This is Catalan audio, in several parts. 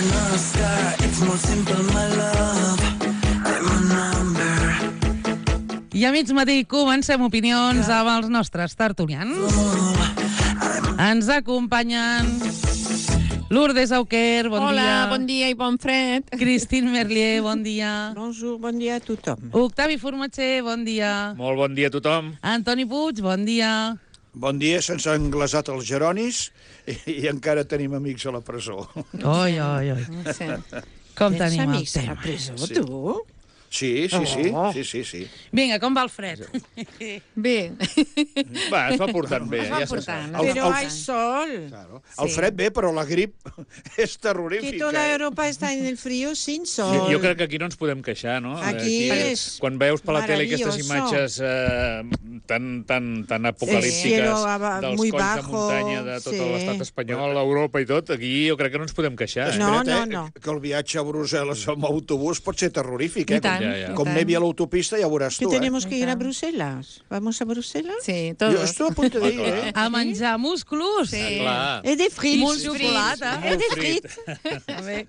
another sky. It's more simple, my love. Take my number. I a mig matí comencem opinions amb els nostres tertulians. Ens acompanyen Lourdes Auquer, bon dia. Hola, bon dia i bon fred. Christine Merlier, bon dia. Bonjour, bon dia a tothom. Octavi Formatger, bon dia. Molt bon dia a tothom. Antoni Puig, bon dia. Bon dia, se'ns han glaçat els geronis i encara tenim amics a la presó. Oi, oi, oi. Sí. Com Tens tenim el amics a la tema? presó, Sí. tu? Sí. Vinga, com va el fred? Bé. Va, es va portant bé. Es va ja se portant. sap. Pero hay sol. Claro. El fred bé, però la grip és terrorífica. Que toda Europa está en el frío sin sol. Jo crec que aquí no ens podem queixar, no? Aquí és quan veus per la tele aquestes maravilloso. imatges tan El apocalíptiques cielo dels muy colls de bajo, muntanya de tot sí. l'estat espanyol, Europa i tot, aquí jo crec que no ens podem queixar. No, Espera't, no. que el viatge a Brussel·les amb autobús pot ser terrorífic, I tant. Ja. Com nevi a l'autopista, ja veuràs ¿Que tu, tenemos que ir a Bruselas? ¿Vamos a Bruselas? Sí, Jo todos. estoy a punt de dir, A menjar musclos. Sí. Clar. Es de frites. Molt xocolata. Es de frites.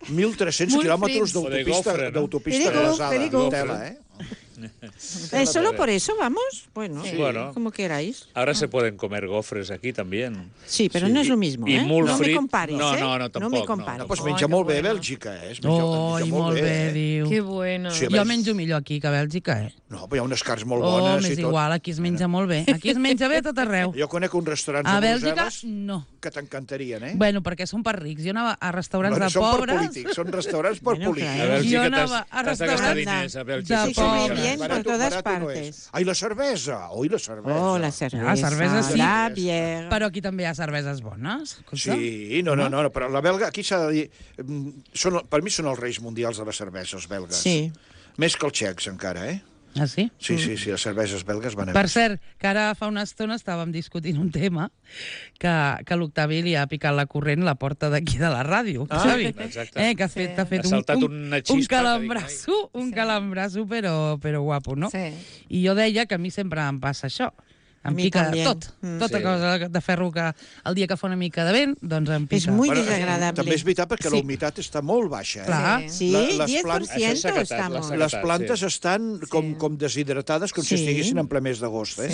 1.300 quilòmetres O de gofre, no? d'autopista Very good, rasada. very good. Tela, ¿Solo por eso vamos? Bueno, Sí. Bueno. como queráis. Ahora se pueden comer gofres aquí también. Sí, pero no es lo mismo, I ¿eh? molt No me frit. compares, No, ¿eh? no, tampoc, No me no. compares. Pues Ai, menja que molt bé bueno. Bèlgica, eh? Oi, molt bé, diu. Que bueno. Sí. Jo menjo millor aquí que a Bèlgica, eh? No, però hi ha unes carns molt Oh, bones m'és i tot. igual, aquí es menja molt bé. Aquí es menja bé a tot arreu. Jo conec uns restaurants A a Bèlgica, Brussel·les no. que t'encantarien, eh? Bueno, perquè són per rics. Jo anava a restaurants No, de són per pobres. polítics, són restaurants per Bueno, polítics. A Bèlgica Jo anava a t'has de gastar restaurants diners, a de Bèlgica. Sí, pobres. come bien por todas partes. Ai, la cervesa! Ui, la cervesa! Oh, la cerveza. La cervesa sí. La bière. Però aquí també hi ha cerveses bones. Escolta. Sí, no, però la belga, aquí s'ha de dir... Per mi són els reis mundials de les cerveses belgues. Sí. Més que els txecs, encara, eh? Ah, sí? Sí, les cerveses belgues van a Per més. cert, que ara fa una estona estàvem discutint un tema que l'Octavi li ha picat la corrent a la porta d'aquí de la ràdio, Xavi. Exacte. Que t'ha fet Ha saltat una xispa un que calambrasso, calambrasso però guapo, no? Sí. I jo deia que a mi sempre em passa això. Em A mi pica també. tot. Tota Sí. cosa de ferro que el dia que fa una mica de vent, doncs em pica. Es muy Bueno, desagradable. també és veritat perquè Sí. la humitat està molt baixa, eh? Clar. Sí, Les 10% plantes- Això és sequetat, estamos. la Les plantes estan com deshidratades, com si Sí. estiguessin en ple mes d'agost, eh?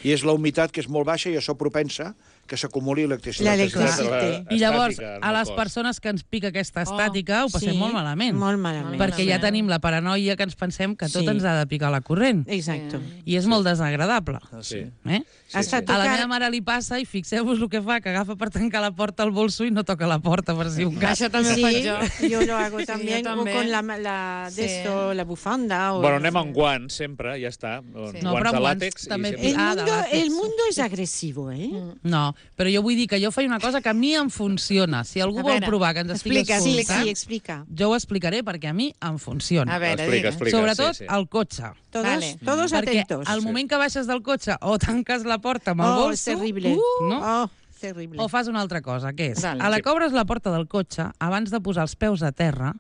Sí. I és la humitat que és molt baixa i això propensa que s'acumuli electricitat. La electricitat. I llavors, Estàtica en a el les cos. persones que ens pica aquesta estàtica ho passem Sí, molt malament. Molt malament. Perquè ja tenim la paranoia que ens pensem que tot Sí. ens ha de picar la corrent. Exacto. I és molt desagradable. Sí. Eh? Hasta A la tocar... meva mare li passa i fixeu-vos el que fa, que agafa per tancar la porta al bolso i no toca la porta per si un cas. Això també ho faig Sí, jo. yo lo hago Sí, también, yo o también. con la de Sí. esto, la bufanda. O Bueno, anem amb guants, sempre, ja està. No, però Guants de amb guants làtex. també I sempre... El mundo es agresivo, ¿eh? No, però jo vull dir que jo faig una cosa que a mi em funciona. Si algú A vol veure, provar que ens estigui explica, Sí, escoltant, sí, explica. jo ho explicaré perquè a mi em funciona. A veure, Explica, digues. explica. Sobretot sí. al cotxe. Todos, Vale. todos Perquè atentos. al moment que baixes del cotxe o tanques la porta amb el Oh, bolso... es terrible. no? Oh, terrible. O fas una altra cosa, que és, Vale. a la que obres la porta del cotxe, abans de posar els peus a terra,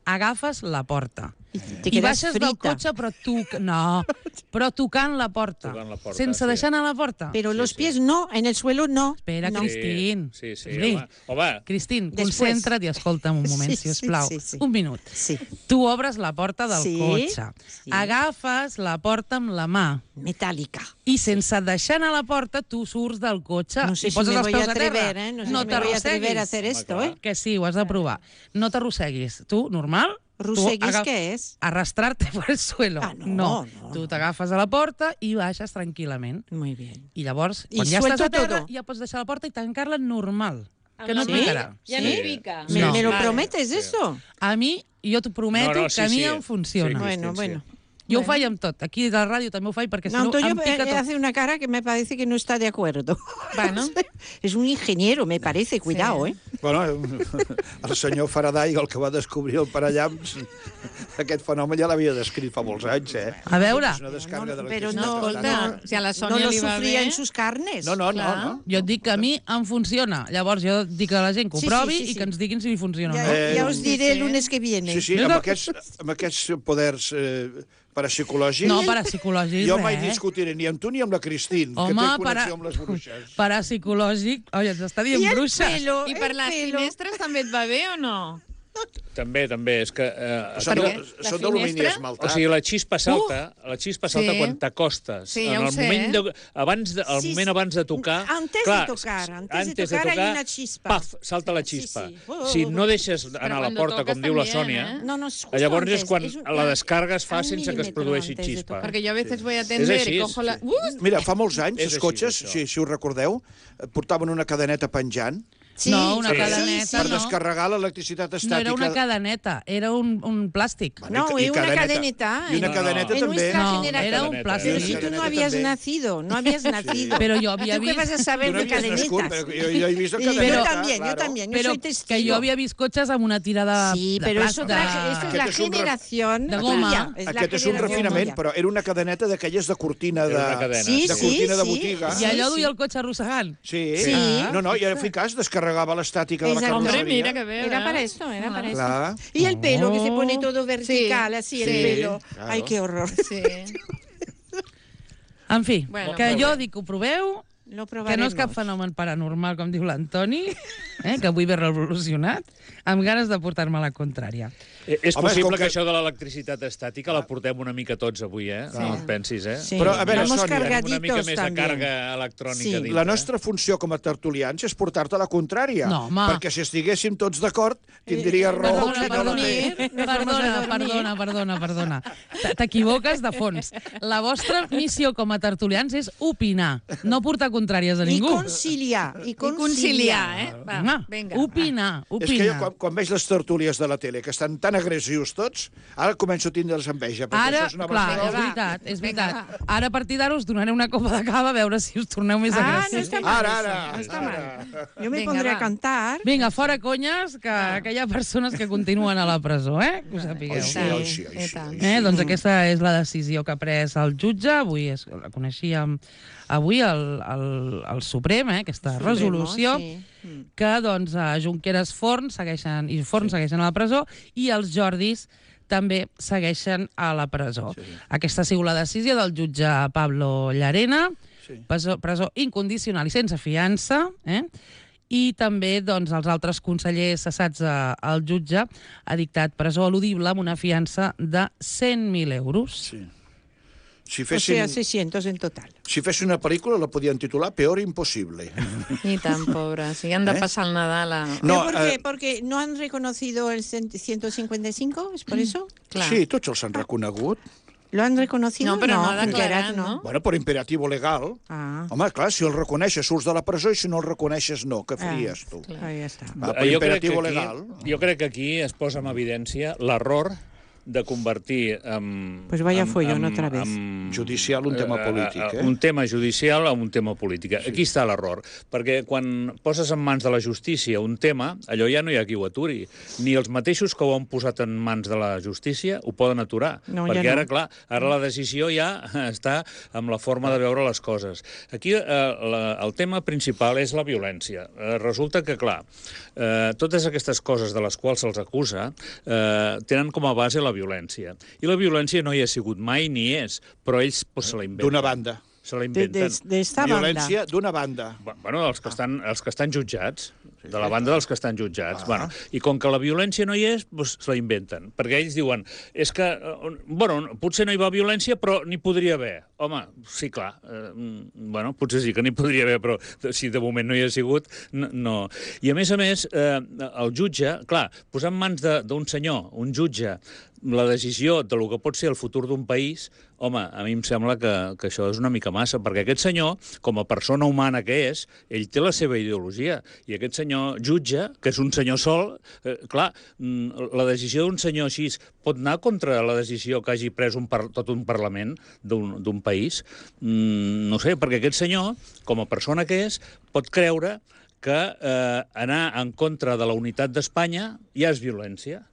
agafes la porta. Te I quedas baixes del frita. cotxe, però tocant la porta. Tocant la porta, sense sí. deixar anar la porta. Pero los pies no, en el suelo no. Espera, no. Cristín. Sí, Sí. home. Cristín, Després. concentra't i escolta'm un moment, Sí, si us plau. sí, sí. Un minut. Sí, Tu obres la porta del Sí, cotxe, sí. agafes la porta amb la mà metálica. i sense deixar anar la porta tu surts del cotxe No sé i si poses me els voy peus a a terra. atrever, ¿eh? No sé no si me voy a atrever a t'arrosseguis. hacer esto, Home, ¿eh? Que sí, ho has de provar. No t'arrosseguis. Tu, normal? ¿Roseguis Tu qué es? Arrastrarte por el suelo. Ah, no, no. Tu t'agafes a la porta i baixes tranquil·lament. Muy bien. I llavors, I quan ja estàs suelto a terra, todo. ja pots deixar la porta i tancar-la normal. Que no et Sí? picarà. Ja no hi pica. ¿Me, No. me lo Vale. prometes eso? A mi, jo t'ho prometo No, no, que sí, a mi sí. em funciona. Sí, Bueno, sí. bueno. Jo ho faig amb tot. Aquí a la ràdio també ho faig perquè si No, no Antonio em pica tot. hace una cara que me parece que no está de acuerdo. Bueno. Es un ingeniero, me parece, cuidado, ¿eh? Bueno, el senyor Faraday, el que va descobrir el parallamps, aquest fenomen ja l'havia descrit fa molts anys, eh? A veure, És una descàrrega de Pero l'electricitat. no, Escolta, si a la no Sònia lo li va sufría bé... en sus carnes. No, no, Clar. no. jo et dic que a mi em funciona. Llavors jo dic a la gent que ho Sí, provi sí, sí, i que sí. ens diguin si li funciona o Ya, no. ya os diré el lunes que viene. Sí, sí, amb aquests poders parapsicològics... No, parapsicològic, Jo mai res. discutiré ni amb tu ni amb la Cristín, que Home, té connexió amb les bruixes. parapsicològic... Oi, ens està dient I el bruixes. pelo, I per el les pelo. finestres també et va bé o no? No, També, és que... Són d'alumini esmaltat. O sigui, la xispa salta Sí. quan t'acostes. Sí, ja En ho el sé, moment eh? el moment abans de tocar... Antes de tocar hay una chispa. Paf, salta la xispa. Sí. Si no deixes anar a la cuando porta, tocas com diu la también, Sònia, ¿eh? No, es justo llavors antes, és quan es la descarga es fa un sense que es milímetro produeixi antes de xispa. tocar. Porque yo a veces voy a atender així, y cojo la... Mira, fa molts anys, És els així, cotxes, això. si ho recordeu, portaven una cadeneta penjant No, una Sí. cadeneta, per no. descarregar l'electricitat No estàtica. era una cadeneta, era un plàstic. No, I es una cadeneta. I una cadeneta En també. nuestra No, generación. era un Cadeneta, plàstic. Pero si tú no habías nacido, no habías nacido. Però jo havia ¿Tú qué vas vist... a saber Tu no de havies nascut, cadenetas? però jo he vist la Y cadeneta, yo también, claro. yo Però soy testigo. que jo havia vist cotxes amb una tira de... Sí, de pero plàstic. esto es la Aquest és un generación de goma. tuya, es la Aquest és un generación refinament, tuya. però era una cadeneta d'aquelles de cortina Era una cadena, Sí, de sí, cortina de sí. botiga. I allò duia el cotxe arrossegant. Sí. Sí. No, i eficaç, descarregava l'estàtica de la Exacto. Hombre, carrosseria. mira que veo. Era ¿no? para eso, era para eso. Clar. Y el pelo, que se pone todo vertical, Sí, así, el sí, pelo. claro. Ay, qué horror. Sí. En fi, Bueno, que molt jo bé. dic que ho proveu, Lo que no probaremos. és cap fenomen paranormal, com diu l'Antoni, que avui ve revolucionat, amb ganes de portar-me la contrària. És Home, possible com que que- això de l'electricitat estàtica la portem una mica tots avui, No et pensis, Sí. Però, a veure, Vamos Sònia, Tenim una mica cargaditos més de también. càrrega electrònica Sí. dintre. La nostra funció com a tertulians és portar-te la contrària. No, home. Perquè si estiguéssim tots d'acord, tindria raó. Perdona, qui no la té. perdona. T'equivoques de fons. La vostra missió com a tertulians és opinar, no portar contràries a Y ningú. conciliar. Y I conciliar, eh? Va, Home, vinga. opinar. És que jo, quan veig les tertúlies de la tele, que estan tan agressius tots, ara començo a tindre's enveja, perquè Ara, això és una clar, broma. és veritat, és veritat. Ara, a partir d'ara, us donaré una copa de cava a veure si us torneu més Ah, no agressius. está mal. Ara. eso, no está mal. Yo me Venga, pondré va. a cantar. Vinga, fora conyes, que hi ha persones que continuen a la presó, que ho sapigueu. Ai, sí. I tant. Doncs aquesta és la decisió que ha pres el jutge. Avui la coneixíem avui el Suprem, aquesta resolució, sí. que doncs, Junqueras Forn segueixen a la presó i els Jordis també segueixen a la presó. Sí. Aquesta ha sigut la decisió del jutge Pablo Llarena, Sí. presó incondicional i sense fiança, i també doncs, els altres consellers cessats al jutge ha dictat presó eludible amb una fiança de 100.000 euros. Sí. Si O fessin, sea, 600 en total. si fessin una pel·lícula la podien titular Peor imposible. I tant, pobres. Si han de passar el Nadal a... No, ¿Pero por qué? ¿Porque no han reconocido el 155? ¿Es por eso? Clar. Sí, tots els han reconegut. ¿Lo han reconocido? No, però no ha Junqueras declarat, no? Bueno, per imperativo legal. Ah, Home, clar, si el reconeixes surts de la presó i si no el reconeixes no. Què faries tu? ahí está. Va, per imperativo legal. Jo crec que aquí es posa en evidència l'error de convertir Pues vaya follón otra vez. Judicial un tema polític, un tema judicial a un tema polític. Sí. Aquí està l'error, perquè quan poses en mans de la justícia un tema, allò ja no hi ha qui ho aturi. Ni els mateixos que ho han posat en mans de la justícia ho poden aturar, No, perquè ja no. ara, clar, ara la decisió ja està amb la forma de veure les coses. Aquí el tema principal és la violència. Resulta que, clar, totes aquestes coses de les quals se'ls acusa tenen com a base la violència. I la violència no hi ha sigut mai ni és, però ells se la inventen. D'una banda. Se la inventen. De esta banda. Violència d'una banda. Bueno, els que estan jutjats, de la banda dels que estan jutjats. Bueno, i com que la violència no hi és, doncs se la inventen. Perquè ells diuen, és que, bueno, potser no hi va violència, però n'hi podria haver. Home, sí, clar, bueno, potser sí que n'hi podria haver, però si de moment no hi ha sigut, no. I a més, el jutge, clar, posar en mans d'un senyor, un jutge, la decisió de lo que pot ser el futur d'un país, home, a mi em sembla que això és una mica massa, perquè aquest senyor, com a persona humana que és, ell té la seva ideologia, i aquest senyor jutge, que és un senyor sol, clar, la decisió d'un senyor així pot anar contra la decisió que hagi pres tot un Parlament d'un país? No sé, perquè aquest senyor, com a persona que és, pot creure que anar en contra de la unitat d'Espanya ja és violència.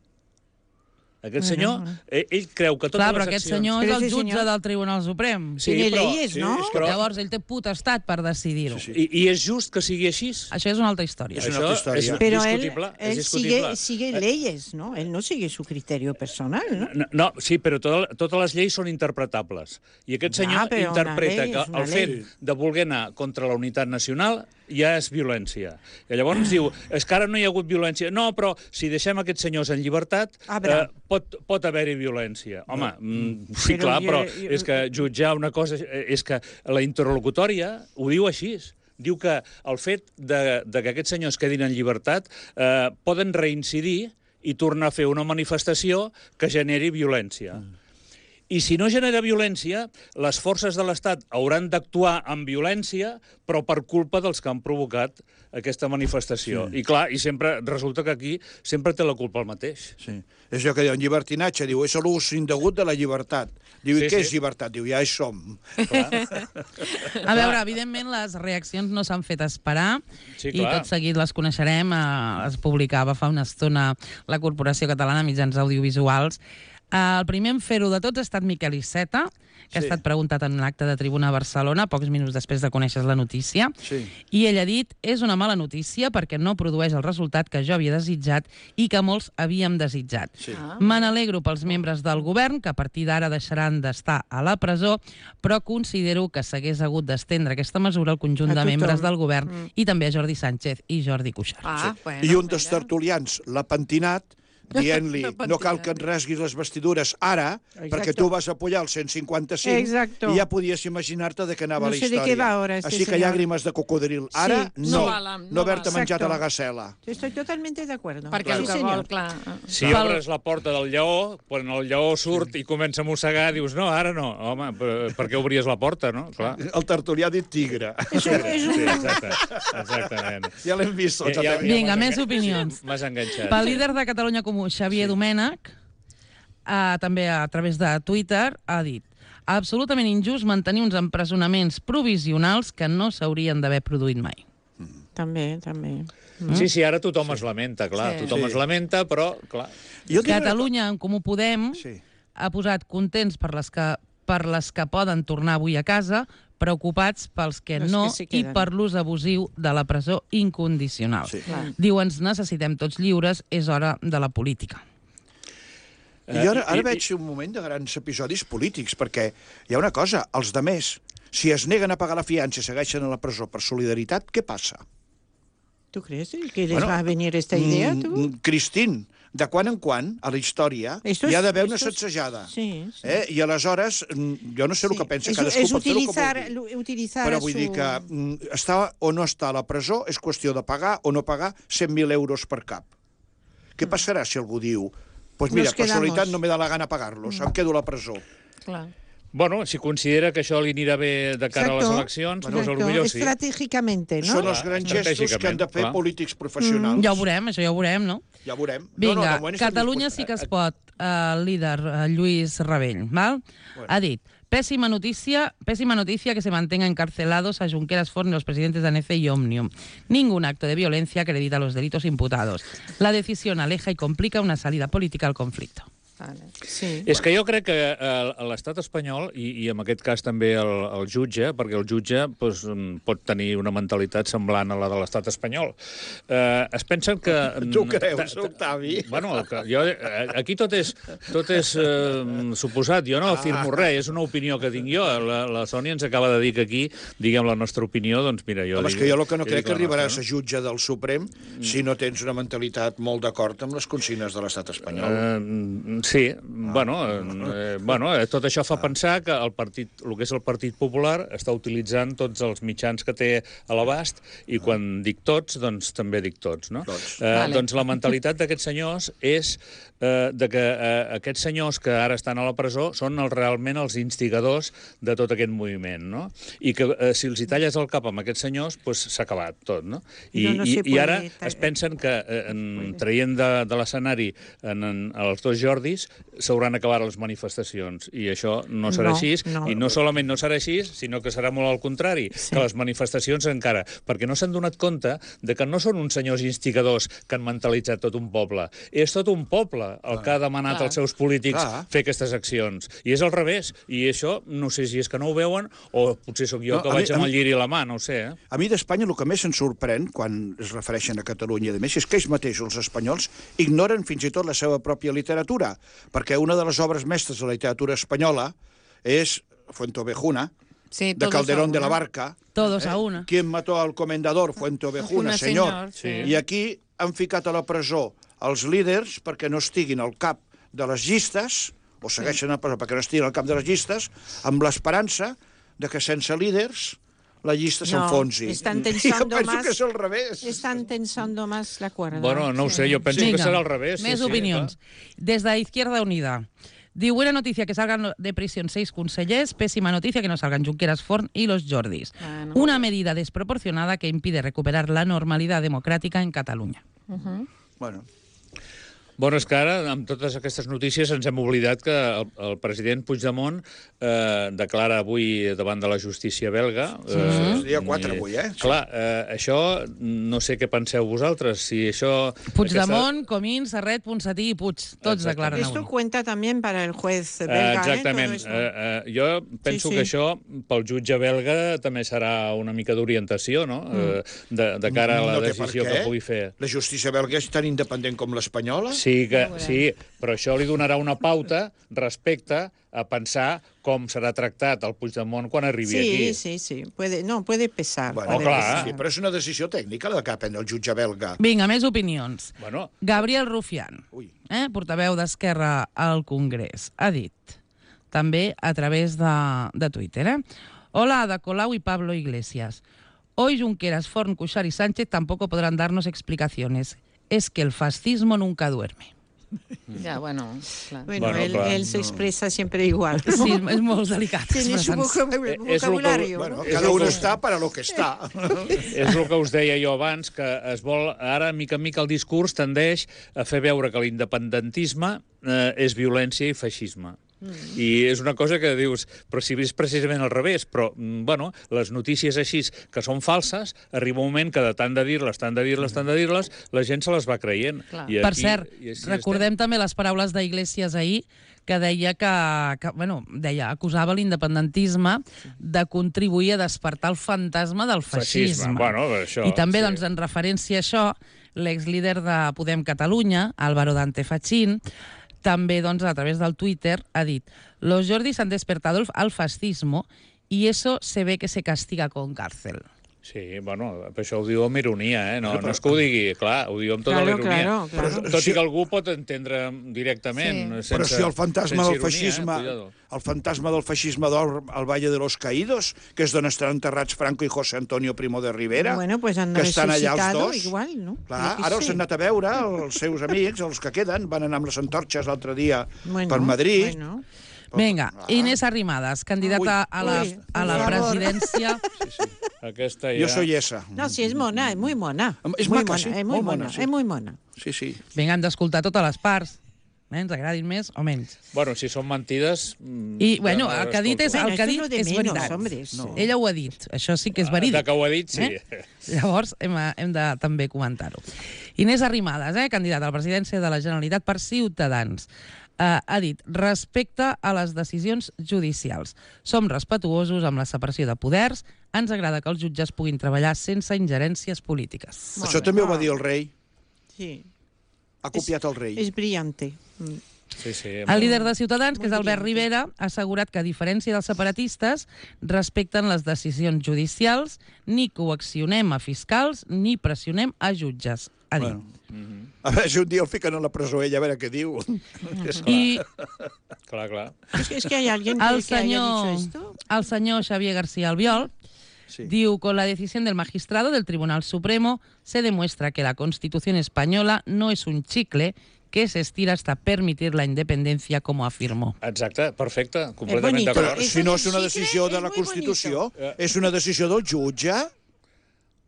Aquest senyor, ell creu que totes Clar, les però accions... aquest senyor és Però el ese jutge senyor- del Tribunal Suprem. Tiene leyes, ¿no? però- Llavors, ell té potestat per decidir-ho. I és just que sigui així? Això és una altra història. És una altra història. És Pero él, discutible. él És discutible. sigue leyes, ¿no? Él no sigue su criterio personal, ¿no? No, sí, però totes les lleis són interpretables. I aquest senyor però una interpreta llei que és una el fet llei. de voler anar contra la unitat nacional ja és violència. I llavors diu, és que ara no hi ha hagut violència. No, però si deixem aquests senyors en llibertat, pot haver-hi violència. Home, sí, clar, però és que jutjar una cosa... És que la interlocutòria ho diu així. Diu que el fet de que aquests senyors quedin en llibertat poden reincidir i tornar a fer una manifestació que generi violència. I si no genera violència, les forces de l'Estat hauran d'actuar amb violència, però per culpa dels que han provocat aquesta manifestació. I clar, i sempre resulta que aquí sempre té la culpa el mateix. Sí. És allò que diu, en llibertinatge, diu, és l'ús indegut de la llibertat. Diu, i què és llibertat? Diu, ja hi som. A veure, evidentment, les reaccions no s'han fet esperar i tot seguit les coneixerem. Es publicava fa una estona la Corporació Catalana de Mitjans Audiovisuals. El primer en fer-ho de tots ha estat Miquel Iceta, que ha estat preguntat en un acte de tribuna a Barcelona, pocs minuts després de conèixer la notícia, i ell ha dit, és una mala notícia perquè no produeix el resultat que jo havia desitjat i que molts havíem desitjat. Me n'alegro pels membres del govern, que a partir d'ara deixaran d'estar a la presó, però considero que s'hagués hagut d'estendre aquesta mesura al conjunt de membres del govern i també a Jordi Sánchez i Jordi Cuixart. I un dels tertulians l'ha pentinat dient-li, no cal que et rasguis les vestidures ara, perquè tu vas apoyar el 155 i ja podies imaginar-te de què anava la història. No sé de què va ahora este Així que llàgrimes de cocodril. Ara, no haver-te menjat a la gasela. Estoy totalmente de acuerdo. Perquè el que vol, clar... Si obres la porta del lleó, quan el lleó surt i comença a mossegar, dius, no, ara no. Home, per què obries la porta, no? Clar. El tertulià ha dit tigre. Sí, exactament. Ja l'hem vist. Vinga, més opinions. M'has enganxat. Pel líder de Catalunya Comú, Xavier Domènech, també a través de Twitter, ha dit absolutament injust mantenir uns empresonaments provisionals que no s'haurien d'haver produït mai. També. Sí, ara tothom es lamenta, clar. Tothom es lamenta, però, clar... Catalunya, en Comú Podem, ha posat contents per les que poden tornar avui a casa, preocupats pels que no i per l'ús abusiu de la presó incondicional. Diu, ens necessitem tots lliures, és hora de la política. I ara veig un moment de grans episodis polítics, perquè hi ha una cosa, els demés, si es neguen a pagar la fiança i segueixen a la presó per solidaritat, què passa? ¿Tú crees que les va a venir esta idea, tu? Cristín, de quan en quan, a la història, hi ha d'haver una sacsejada. I aleshores, jo no sé el que pensa cadascú, pot fer el que vulgui. Però vull dir que estar o no estar a la presó és qüestió de pagar o no pagar 100.000 euros per cap. Què passarà si algú diu, doncs mira, per solidaritat no me da la gana pagar-los, em quedo a la presó? Clar. Bueno, si considera que això li anirà bé de cara a les eleccions, doncs potser sí. Estratègicamente, no? Són els grans gestos que han de fer polítics professionals. Ja ho veurem, això ja ho veurem, no? Ja ho veurem. Vinga, Catalunya sí que es pot, el líder Lluís Rabell, ¿val? Ha dit, pésima noticia que se mantenga encarcelados a Junqueras, Forn y los presidentes de ANECE y Òmnium. Ningún acto de violencia acredita los delitos imputados. La decisión aleja y complica una salida política al conflicto. És que jo crec que l'estat espanyol, i en aquest cas també el jutge, perquè el jutge pot tenir una mentalitat semblant a la de l'estat espanyol, es pensen que... Tu creus, Octavi? Bueno, aquí tot és suposat, jo no afirmo res, és una opinió que tinc jo. La Sònia ens acaba de dir que aquí diguem la nostra opinió, doncs mira, jo... Home, és que jo el que no crec que arribaràs a jutge del Suprem si no tens una mentalitat molt d'acord amb les consignes de l'estat espanyol. Sí, bueno, tot això fa pensar que el que és el Partit Popular està utilitzant tots els mitjans que té a l'abast i quan dic tots, doncs també dic tots, no? Doncs la mentalitat d'aquests senyors és de que aquests senyors que ara estan a la presó són realment els instigadors de tot aquest moviment, no? I que si els hi talles el cap amb aquests senyors, doncs s'ha acabat tot, no? I ara es pensen que traient de l'escenari els dos Jordis s'hauran acabat les manifestacions i això no serà així, i no solament no serà així, sinó que serà molt al contrari, que les manifestacions encara, perquè no s'han donat compte de que no són uns senyors instigadors que han mentalitzat tot un poble, és tot un poble el que ha demanat als seus polítics fer aquestes accions, i és al revés, i això no sé si és que no ho veuen o potser sóc jo que vaig amb el lliri a la mà, no ho sé. A mi d'Espanya el que més ens sorprèn quan es refereixen a Catalunya i a més és que ells mateixos, els espanyols, ignoren fins i tot la seva pròpia literatura, perquè una de les obres mestres de la literatura espanyola és Fuenteovejuna, de Calderón de la Barca. Todos a una. ¿Quién mató al comendador? Fuenteovejuna, senyor. I aquí han ficat a la presó els líders perquè no estiguin al cap de les llistes, o segueixen a presó perquè no estiguin al cap de les llistes, amb l'esperança de que sense líders la llista s'enfonsi. Están tensando más. Que és al revés. Están tensando más la cuerda. Bueno, no ho sé, jo penso que serà al revés. Més opinions. Des de Izquierda Unida. Diu, buena noticia que salgan de prisión 6 consellers, pésima noticia que no salgan Junqueras, Forn y los Jordis. Bueno. Una medida desproporcionada que impide recuperar la normalidad democrática en Cataluña. Bueno, és que ara, amb totes aquestes notícies, ens hem oblidat que el president Puigdemont declara avui davant de la justícia belga... És dia 4 avui, Clar, això no sé què penseu vosaltres, si això... Puigdemont, Comín, Serret, Ponsatí i Puig, tots declaren avui. Esto cuenta también para el juez belga, Exactament. Jo penso que això, pel jutge belga, també serà una mica d'orientació, no?, de cara a la decisió que pugui fer. La justícia belga és tan independent com l'espanyola? Sí, però això li donarà una pauta respecte a pensar com serà tractat el Puigdemont quan arribi aquí. Sí. Puede pesar. Bueno, clar, sí, però és una decisió tècnica la que ha prendre el jutge belga. Vinga, més opinions. Gabriel Rufián, portaveu d'Esquerra al Congrés, ha dit, també a través de Twitter, Hola, Ada Colau y Pablo Iglesias. Hoy Junqueras, Forn, Cuixart y Sánchez tampoco podrán darnos explicaciones. Es que el fascismo nunca duerme. Ja, bueno, clar. Bueno, él se expresa siempre igual. Sí, és molt delicat. Tiene su vocabulario. Bueno, cada uno està para lo que està. És el que us deia jo abans, que es vol, ara, mica en mica, el discurs tendeix a fer veure que l'independentisme és violència i feixisme. I és una cosa que dius, però si és precisament al revés, però, bueno, les notícies així que són falses, arriba un moment que de tant de dir-les, la gent se les va creient. Per cert, recordem també les paraules d'Iglesias ahir, que deia acusava l'independentisme de contribuir a despertar el fantasma del feixisme. I també, doncs, en referència a això, l'exlíder de Podem Catalunya, Álvaro Dante Fachín, també, doncs, a través del Twitter, ha dit «Los Jordis han despertado al fascismo y eso se ve que se castiga con cárcel». Sí, bueno, això ho diu amb ironia, no és que ho digui, clar, ho diu amb tota la ironia. Tot i que algú pot entendre directament. Però si el fantasma del feixisme d'or al Valle de los Caídos, que és d'on estan enterrats Franco i José Antonio Primo de Rivera, que estan allà els dos. Clar, ara els han anat a veure, els seus amics, els que queden, van anar amb les antorxes l'altre dia per Madrid. Vinga, Inés Arrimadas, candidata a la presidència. Aquesta ja... Jo soy esa. No, sí, és mona, és muy mona. És maca, sí. És muy mona. Sí. Vinga, hem d'escoltar totes les parts. Ens agradin més o menys. Bueno, si són mentides... I, bueno, el que ha dit és veritat. Ella ho ha dit, això sí que és verídic. Que ho ha dit, sí. Llavors, hem de també comentar-ho. Inés Arrimadas, candidata a la presidència de la Generalitat per Ciutadans, ha dit, respecte a les decisions judicials. Som respetuosos amb la separació de poders, ens agrada que els jutges puguin treballar sense ingerències polítiques. Això també ho va dir el rei. Sí. Ha copiat el rei. És brillante. El líder de Ciutadans, que és Albert Rivera, ha assegurat que, a diferència dels separatistes, respecten les decisions judicials, ni coaccionem a fiscals, ni pressionem a jutges, ha dit. A veure si un dia el fiquen a la presó ella, a veure què diu. Clar. És que hi ha alguien que haya dicho esto. El senyor Xavier García Albiol diu, con la decisión del magistrado del Tribunal Supremo se demuestra que la Constitución española no es un chicle que se estira hasta permitir la independencia, como afirmó. Exacte, perfecte, completament d'acord. Si no és una decisió de la Constitució, és una decisió del jutge.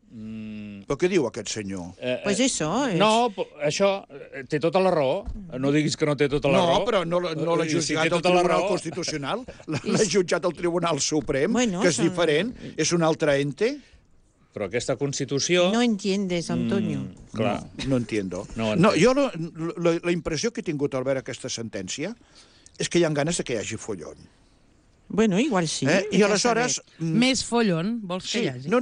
Però què diu aquest senyor? Pues eso. No, això té tota la raó. No diguis que no té tota la raó. No, però no l'ha jutjat el Tribunal Constitucional, l'ha jutjat el Tribunal Suprem, que és diferent, és un altre ente. Però aquesta Constitució... No entiendes, Antonio. Clar. No entiendo. Jo la impressió que he tingut al veure aquesta sentència és que hi ha ganes que hi hagi follon. Bueno, igual sí. I aleshores... Més follon, vols que hi hagi? No.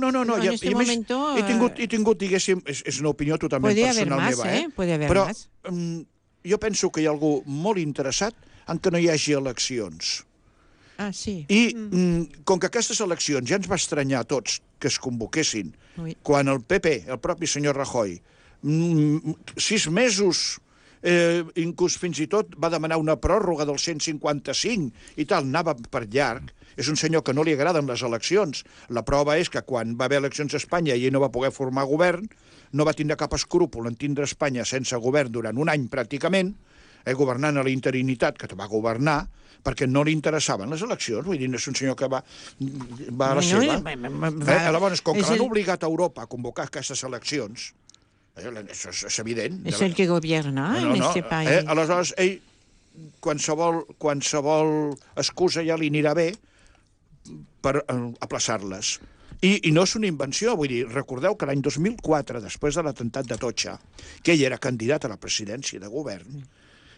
He tingut, diguéssim, és una opinió totalment personal meva, però jo penso que hi ha algú molt interessat en que no hi hagi eleccions. Ah, sí. I com que aquestes eleccions ja ens va estranyar a tots que es convoquessin, quan el PP, el propi senyor Rajoy, 6 mesos, inclús fins i tot va demanar una pròrroga del 155 i tal, anava per llarg. És un senyor que no li agraden les eleccions. La prova és que quan va haver eleccions a Espanya i ell no va poder formar govern, no va tindre cap escrúpol en tindre Espanya sense govern durant un any pràcticament, governant a la interinitat, que va governar, perquè no li interessaven les eleccions. Vull dir, no és un senyor que va a la seva. Llavors, com que l'han obligat a Europa a convocar aquestes eleccions, això és evident. És el que gobierna en este país. Aleshores, ell, qualsevol excusa ja li anirà bé per aplaçar-les. I no és una invenció, vull dir, recordeu que l'any 2004, després de l'atemptat d'Atocha, que ell era candidat a la presidència de govern,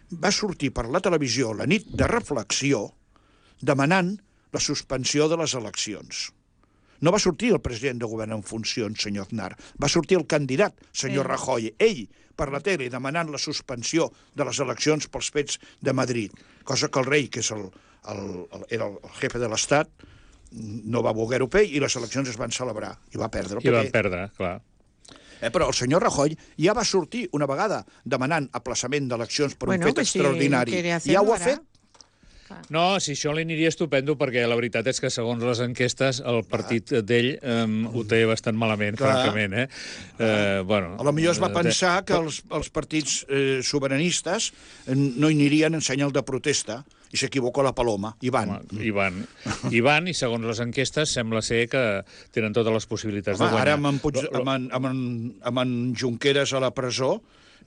va sortir per la televisió la nit de reflexió demanant la suspensió de les eleccions. No va sortir el president de govern en funcions, senyor Aznar, va sortir el candidat, senyor Rajoy, ell, per la tele, demanant la suspensió de les eleccions pels fets de Madrid, cosa que el rei, que era el jefe de l'Estat, no va voler-ho fer i les eleccions es van celebrar i va perdre. I van perdre, clar. Però el senyor Rajoy ja va sortir una vegada demanant aplaçament d'eleccions per un fet extraordinari. Ja ho ha fet. No, si això li aniria estupendo, perquè la veritat és que, segons les enquestes, el partit d'ell ho té bastant malament, francament. Potser es va pensar que els partits sobiranistes no hi anirien en senyal de protesta, i s'equivoca la paloma, i van. I van, i segons les enquestes sembla ser que tenen totes les possibilitats de guanyar. Ara amb en Junqueras a la presó,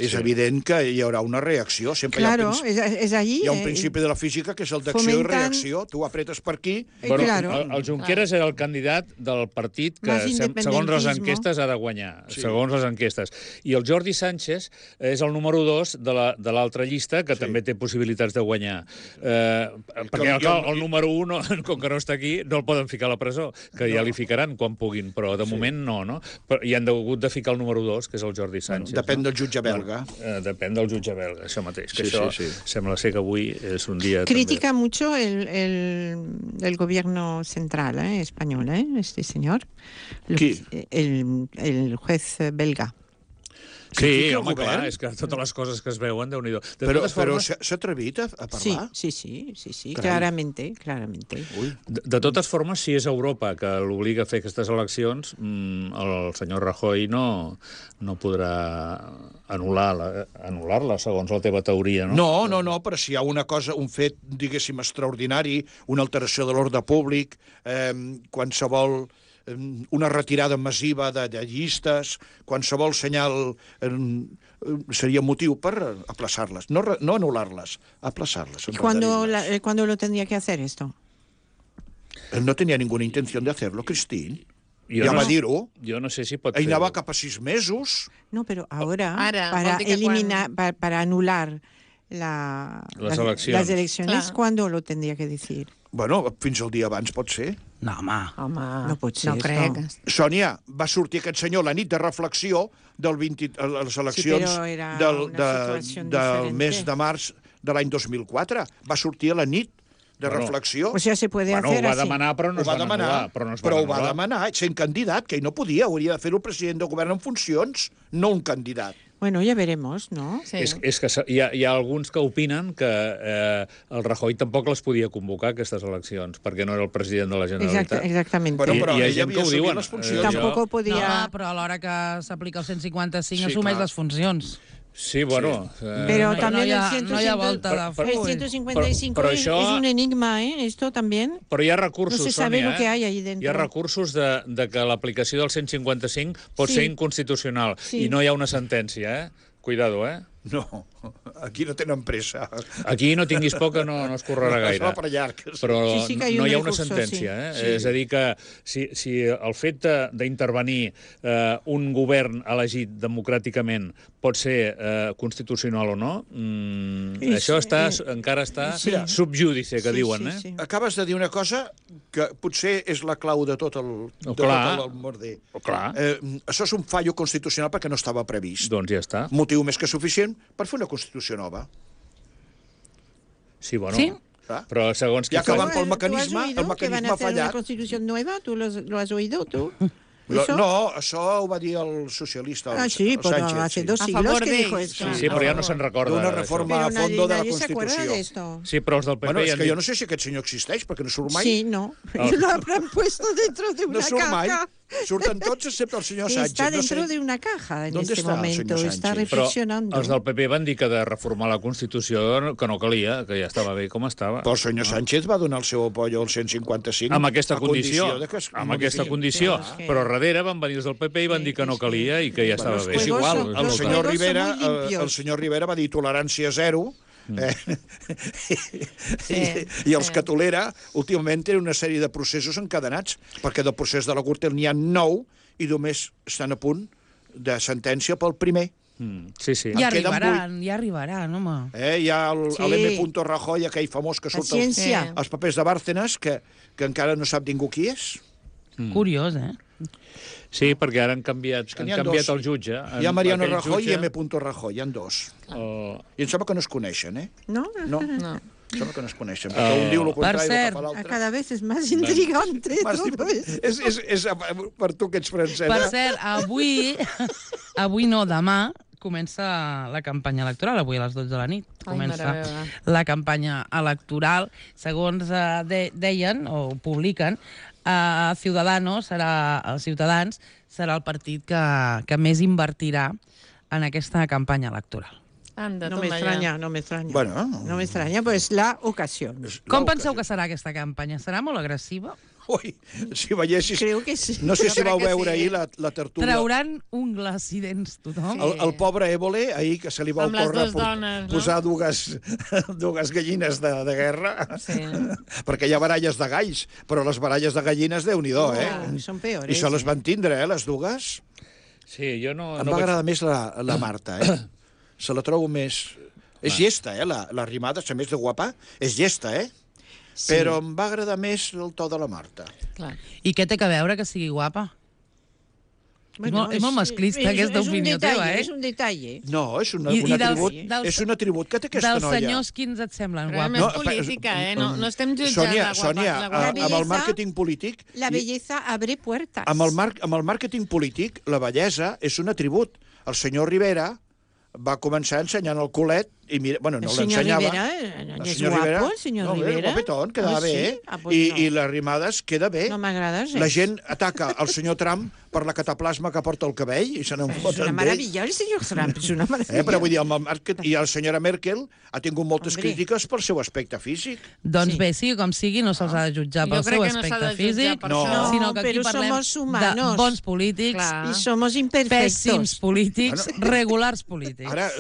és evident que hi haurà una reacció. Claro, és allí. Hi ha un principi de la física que és el d'acció i reacció. Tu apretes per aquí. El Junqueras era el candidat del partit que, segons les enquestes, ha de guanyar. Segons les enquestes. I el Jordi Sánchez és el número 2 de l'altra llista, que també té possibilitats de guanyar. Perquè el número 1, com que no està aquí, no el poden ficar a la presó, que ja li ficaran quan puguin, però de moment no. I han hagut de ficar el número 2, que és el Jordi Sánchez. Depèn del jutge belga. Depèn del jutge belga, això mateix. Que això sembla ser que avui és un dia... Critica mucho el gobierno central español, este señor. ¿Qui? El juez belga. Sí, home, clar, és que totes les coses que es veuen, Déu-n'hi-do. Però s'ha atrevit a parlar? Sí, claramente. De totes formes, si és Europa que l'obliga a fer aquestes eleccions, el senyor Rajoy no podrà anul·lar-la, segons la teva teoria, no? No, però si hi ha una cosa, un fet, diguéssim, extraordinari, una alteració de l'ordre públic, qualsevol... una retirada massiva de llistes, qualsevol senyal seria motiu per aplaçar-les. No anular-les, aplaçar-les. ¿Cuándo lo tendría que hacer esto? No tenía ninguna intención de hacerlo, Cristín. Ja va dir-ho. Jo no sé si pot fer-ho. Ell anava cap a 6 mesos. No, pero ahora para anular las elecciones, ¿cuándo lo tendría que decir? Bueno, fins al dia abans pot ser. No, home. No pot ser. No crec. Sònia, va sortir aquest senyor la nit de reflexió a les eleccions del mes de març de l'any 2004. Va sortir a la nit de reflexió. O sea, se puede hacer así. Ho va demanar, però no es va anul·lar. Però ho va demanar, sent candidat, que ell no podia. Hauria de fer-ho el president del govern en funcions, no un candidat. Bueno, ya veremos, ¿no? Sí. És que hi ha alguns que opinen que el Rajoy tampoc les podia convocar, aquestes eleccions, perquè no era el president de la Generalitat. Exactament. Però hi ha gent que ho diuen. Tampoc podia... No, però a l'hora que s'aplica el 155 assumeix les funcions. Sí, bueno... Pero también no hi ha volta de full. El 155 es un enigma, esto también. Però hi ha recursos, no se sabe lo que hay ahí dentro. Hi ha recursos de que l'aplicació del 155 pot ser inconstitucional i no hi ha una sentència, Cuidado, No, aquí no tenen pressa. Aquí no tinguis por que no es correrà gaire. Es va per llarg. Però no hi ha una sentència. És a dir, que si el fet d'intervenir un govern elegit democràticament pot ser constitucional o no, això encara està subjúdice, que diuen. Acabes de dir una cosa que potser és la clau de tot el merder. Això és un fallo constitucional perquè no estava previst. Doncs ja està. Motiu més que suficient per fer una Constitució nova. Sí, bueno... Sí? Però segons ja que van pel mecanisme, el mecanisme ha fallat. Que van a hacer una constitució nova, tu lo has oído, tu? No, això ho va dir el socialista, el sí, però Sánchez. hace 2 siglos que dijo esto. Sí, però ja no se'n recorda. D'una reforma a fondo de la Constitució. Sí, però els del PP... Bueno, és que jo no sé si aquest senyor existeix, perquè no surt mai. Sí, no. Lo habrán puesto dentro de una caja. No surt mai. Surten tots excepte el senyor Sánchez. Está dentro de una caja en este momento. Está reflexionando. Però els del PP van dir que de reformar la Constitució que no calia, que ja estava bé com estava. Però el senyor Sánchez va donar el seu apoyo al 155 amb aquesta condició. Amb aquesta condició. Però darrere van venir els del PP i van dir que no calia i que ja estava bé. És igual. El senyor Rivera va dir tolerància zero. I els que tolera últimament tenen una sèrie de processos encadenats, perquè del procés de la Gürtel n'hi ha 9 i només estan a punt de sentència pel primer. Sí, sí. Ja arribaran, home. Hi ha l'M. Rajoy, aquell famós que surt als papers de Bárcenas, que encara no sap ningú qui és. Curiós, Sí, perquè ara han canviat el jutge. Hi ha Mariano Rajoy i M. Rajoy, hi ha 2. I em sembla que no es coneixen, No. Em sembla que no es coneixen, perquè un diu el contrari del que fa l'altre. Cada vez és més intrigante. És per tu que ets francesa. Per cert, avui no, demà, comença la campanya electoral, avui a les 12 de la nit. Comença la campanya electoral. Segons deien, o publiquen, Ciudadanos serà el partit que més invertirà en aquesta campanya electoral. No me extraña. Bueno, no me extraña, pues la ocasión. Com penseu que serà aquesta campanya? Serà molt agressiva? Ui, si veiessis... Creo que sí. No sé si vau veure ahir la tertúlia. Trauran ungles i dents tothom. El pobre Évole, ahir que se li va ocórrer posar dues gallines de guerra, perquè hi ha baralles de galls, però les baralles de gallines, Déu-n'hi-do, Són peores. I se les van tindre, les dues. Sí, jo no... Em va agradar més la Marta, Se la trobo més... És llesta, la Arrimadas, a més de guapa, és llesta, Sí. Però em va agradar més el to de la Marta. Clar. I què té que veure que sigui guapa? Bueno, és molt masclista, aquesta opinió teva, És un detall, No, és un atribut, és un atribut que té aquesta noia. Dels senyors, quins et semblen guapos? Però és política, no estem jutjant la guapa. Sònia, amb el màrqueting polític... La bellesa abre puertas. Amb el màrqueting polític, la bellesa és un atribut. El senyor Rivera va començar ensenyant el culet i mira, bueno, no l'ensenyava. El senyor Rivera, el senyor Rivera. El guapetón, quedava bé. I les Arrimadas queda bé. No m'agrada gens. La gent ataca el senyor Trump per la cataplasma que porta el cabell i se n'en foten d'ell. És una meravella, el senyor Trump, és una meravella. Però vull dir, i la senyora Merkel ha tingut moltes crítiques pel seu aspecte físic. Doncs bé, sigui com sigui, no se'ls ha de jutjar pel seu aspecte físic, sinó que aquí parlem de bons polítics, i somos imperfectos. pèssims polítics, regulars polítics. Ara,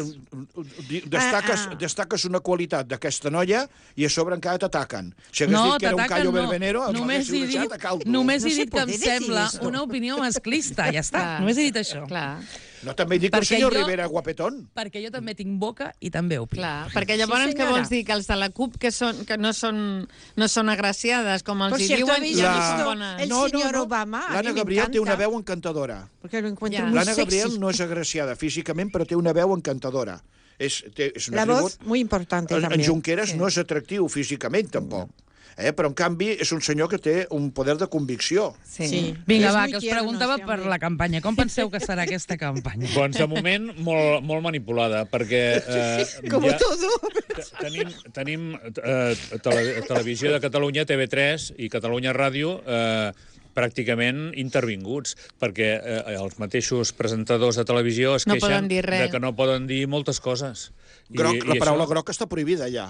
destaques una qualitat d'aquesta noia i a sobre encara t'ataquen. Si hagués dit que era un callo verbenero, només he dit que em sembla una opinió masclista, ja està. Només he dit això. No, també dic que el senyor Rivera guapetón. Perquè jo també tinc boca i també opino. Clar, perquè llavors què vols dir? Que els de la CUP que no són agraciades, com els hi diuen, ja no són bones. El senyor Obama, l'Anna Gabriel té una veu encantadora. L'Anna Gabriel no és agraciada físicament, però té una veu encantadora. És un la voz muy importante en Junqueras no és atractiu físicament, tampoc. Però, en canvi, és un senyor que té un poder de convicció. Vinga, va, que us preguntava per la campanya. Com penseu que serà aquesta campanya? Doncs, de moment, molt manipulada, perquè... Com todo. Tenim Televisió de Catalunya, TV3 i Catalunya Ràdio pràcticament intervinguts, perquè els mateixos presentadors de televisió es queixen de que no poden dir moltes coses. La paraula groc està prohibida, ja.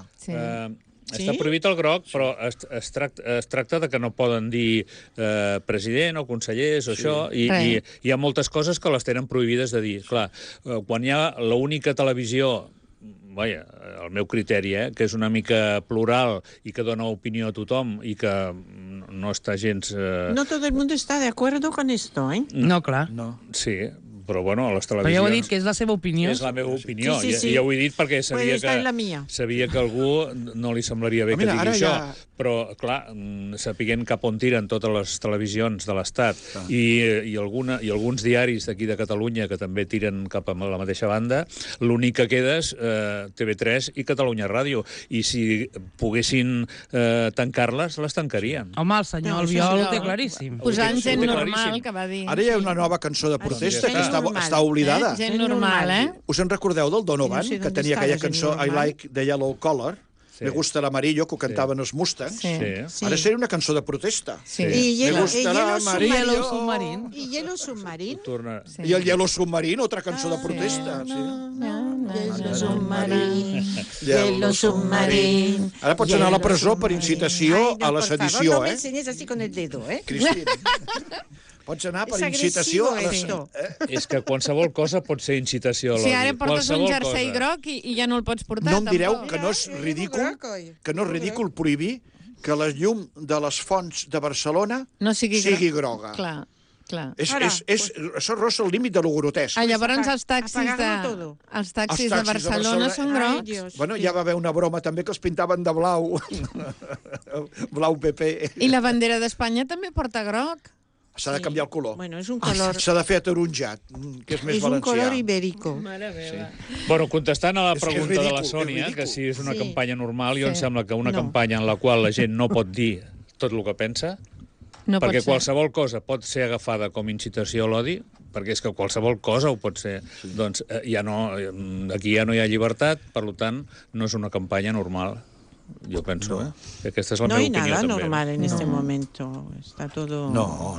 Està prohibit el groc, però es tracta de que no poden dir president o consellers o això, i hi ha moltes coses que les tenen prohibides de dir. Clar, quan hi ha l'única televisió, vaja, el meu criteri, que és una mica plural i que dona opinió a tothom i que no està gens... No todo el mundo está de acuerdo con esto, No, clar. Sí, Però, bueno, a les televisions... Però ja ho he dit, que és la seva opinió. És la meva opinió. Sí. Ja ho he dit perquè sabia que a algú no li semblaria bé que digui això. Però, clar, sapiguent cap on tiren totes les televisions de l'Estat i alguns diaris d'aquí de Catalunya que també tiren cap a la mateixa banda, l'únic que queda és TV3 i Catalunya Ràdio. I si poguessin tancar-les, les tancarien. Home, el senyor Albiol ho té claríssim. Posant gent normal, que va dir. Ara hi ha una nova cançó de protesta que està oblidada. Gent normal, Us en recordeu del Donovan, que tenia aquella cançó I Like the Yellow Color? Me gusta l'amarillo, que ho cantaven els Mustangs. Ara seria una cançó de protesta. I Yellow Submarine. I Yellow Submarine. I el Yellow Submarine, otra cançó de protesta. Yellow Submarine. Ara pots anar a la presó per incitació a la sedició, No me ensenyes así con el dedo, Cristina. Pots anar per incitació a la... És que qualsevol cosa pot ser incitació a l'odi. Si ara portes un jersei groc i ja no el pots portar, no em direu que no és ridícul prohibir que la llum de les fonts de Barcelona sigui groga. Clar. Això rossa el límit de lo grotesc. Llavors els taxis de Barcelona són grocs. Bueno, ja va haver una broma també que els pintaven de blau. Blau PP. I la bandera d'Espanya també porta groc. S'ha de canviar el color. Bueno, és un color... S'ha de fer ataronjat, que és més valencià. És un color ibérico. Bueno, contestant a la pregunta de la Sònia, que si és una campanya normal, jo em sembla que una campanya en la qual la gent no pot dir tot el que pensa, perquè qualsevol cosa pot ser agafada com incitació a l'odi, perquè és que qualsevol cosa ho pot ser. Doncs aquí ja no hi ha llibertat, per tant, no és una campanya normal. Yo pienso, que esta es la mi opinión. No hay nada normal en este momento. Está todo... No.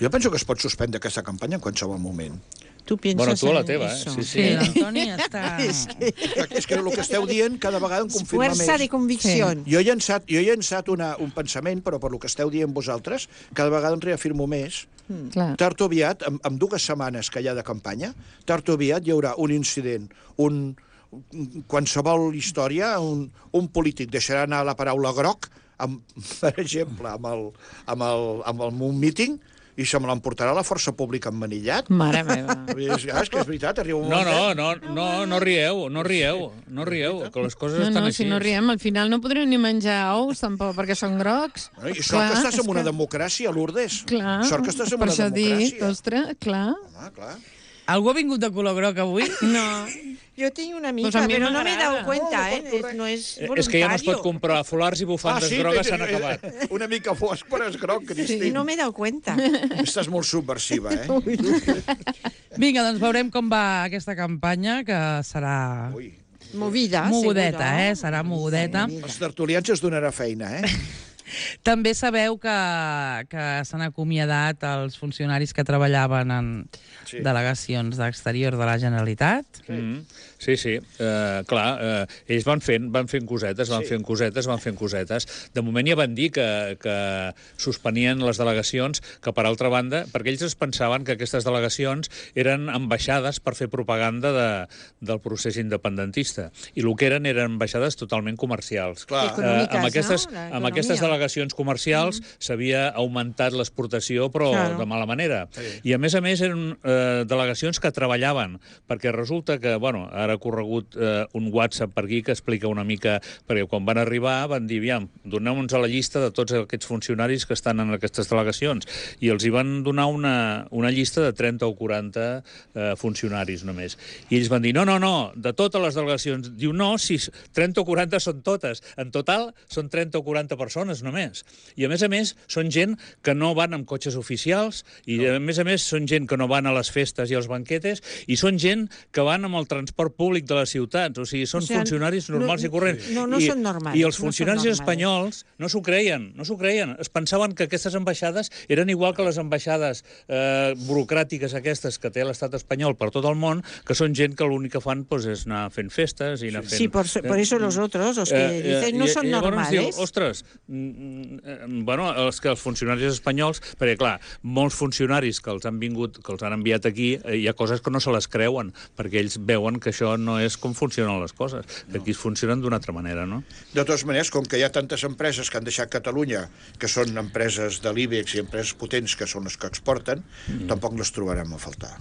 Jo penso que es pot suspendre aquesta campanya en qualsevol moment. Tu pienses bueno, tu a la teva, Sí, l'Antoni està... És que el que esteu dient cada vegada em confirma més. Fuerza de convicció. Jo he llançat un pensament, però per el que esteu dient vosaltres, cada vegada em reafirmo més. Tard o aviat, amb 2 setmanes que hi ha de campanya, tard o aviat hi haurà un incident, qualsevol història, un polític deixarà anar la paraula groc, per exemple, amb un míting, i se me l'emportarà la força pública emmanillat. Mare meva. És que és veritat, arriba un moment... No rieu, que les coses estan així. Si no riem, al final no podrem ni menjar ous, tampoc, perquè són grocs. I sort que estàs en una democràcia, Lourdes. Clar, sort que estàs en una democràcia. Per això dic, ostres, clar. Home, clar. Algú ha vingut de color groc avui? No. Yo tengo una amiga, pero no me he dado cuenta, no es voluntario. És que ja no es pot comprar folars i bufandes grogues, s'han acabat. Una mica fosc, però és groc, Cristina. Sí, no me he dado cuenta. Estàs molt subversiva, Vinga, doncs veurem com va aquesta campanya, que serà... Mogudeta, serà mogudeta. Els tertulians es donarà feina, També sabeu que s'han acomiadat els funcionaris que treballaven en delegacions d'exterior de la Generalitat. Sí. Clar, ells van fent cosetes. De moment ja van dir que suspenien les delegacions, que per altra banda, perquè ells es pensaven que aquestes delegacions eren ambaixades per fer propaganda del procés independentista. I el que eren ambaixades totalment comercials. Amb aquestes delegacions comercials s'havia augmentat l'exportació, però de mala manera. I a més eren delegacions que treballaven, perquè resulta que, ara ha corregut un WhatsApp per aquí que explica una mica, perquè quan van arribar van dir, doneu-nos a la llista de tots aquests funcionaris que estan en aquestes delegacions, i els hi van donar una llista de 30 o 40 funcionaris només. I ells van dir, no, de totes les delegacions. Diu, no, si 30 o 40 són totes. En total són 30 o 40 persones només. I a més, són gent que no van amb cotxes oficials, i a més són gent que no van a les festes i als banquetes, i són gent que van amb el transport públic de les ciutats. O sigui, són funcionaris normals i corrents. No són normals. I els funcionaris espanyols no s'ho creien. Es pensaven que aquestes ambaixades eren igual que les ambaixades burocràtiques aquestes que té l'estat espanyol per tot el món, que són gent que l'únic que fan és anar fent festes i anar fent... Sí, por eso los otros, los que dicen, no són normales. Ostres, els funcionaris espanyols, perquè clar, molts funcionaris que els han vingut, que els han enviat aquí, hi ha coses que no se les creuen, perquè ells veuen que això això no és com funcionen les coses, que aquí funcionen d'una altra manera, no? De totes maneres, com que hi ha tantes empreses que han deixat Catalunya, que són empreses de l'IBEX i empreses potents que són les que exporten, tampoc les trobarem a faltar.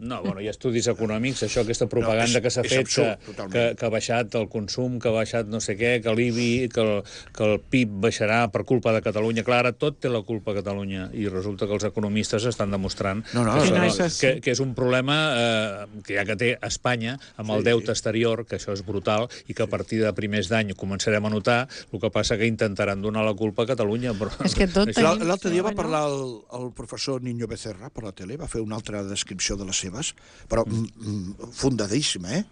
No, bueno, hi ha estudis econòmics, això, aquesta propaganda que s'ha fet, que ha baixat el consum, que ha baixat no sé què, que l'IBI, que el PIB baixarà per culpa de Catalunya. Clar, ara tot té la culpa a Catalunya, i resulta que els economistes estan demostrant que és un problema que ja que té Espanya, amb el deute exterior, que això és brutal, i que a partir de primers d'any començarem a notar, el que passa que intentaran donar la culpa a Catalunya. És que tot tenim... L'altre dia va parlar el professor Niño Becerra per la tele, va fer una altra descripció de les seves, però fundadíssima,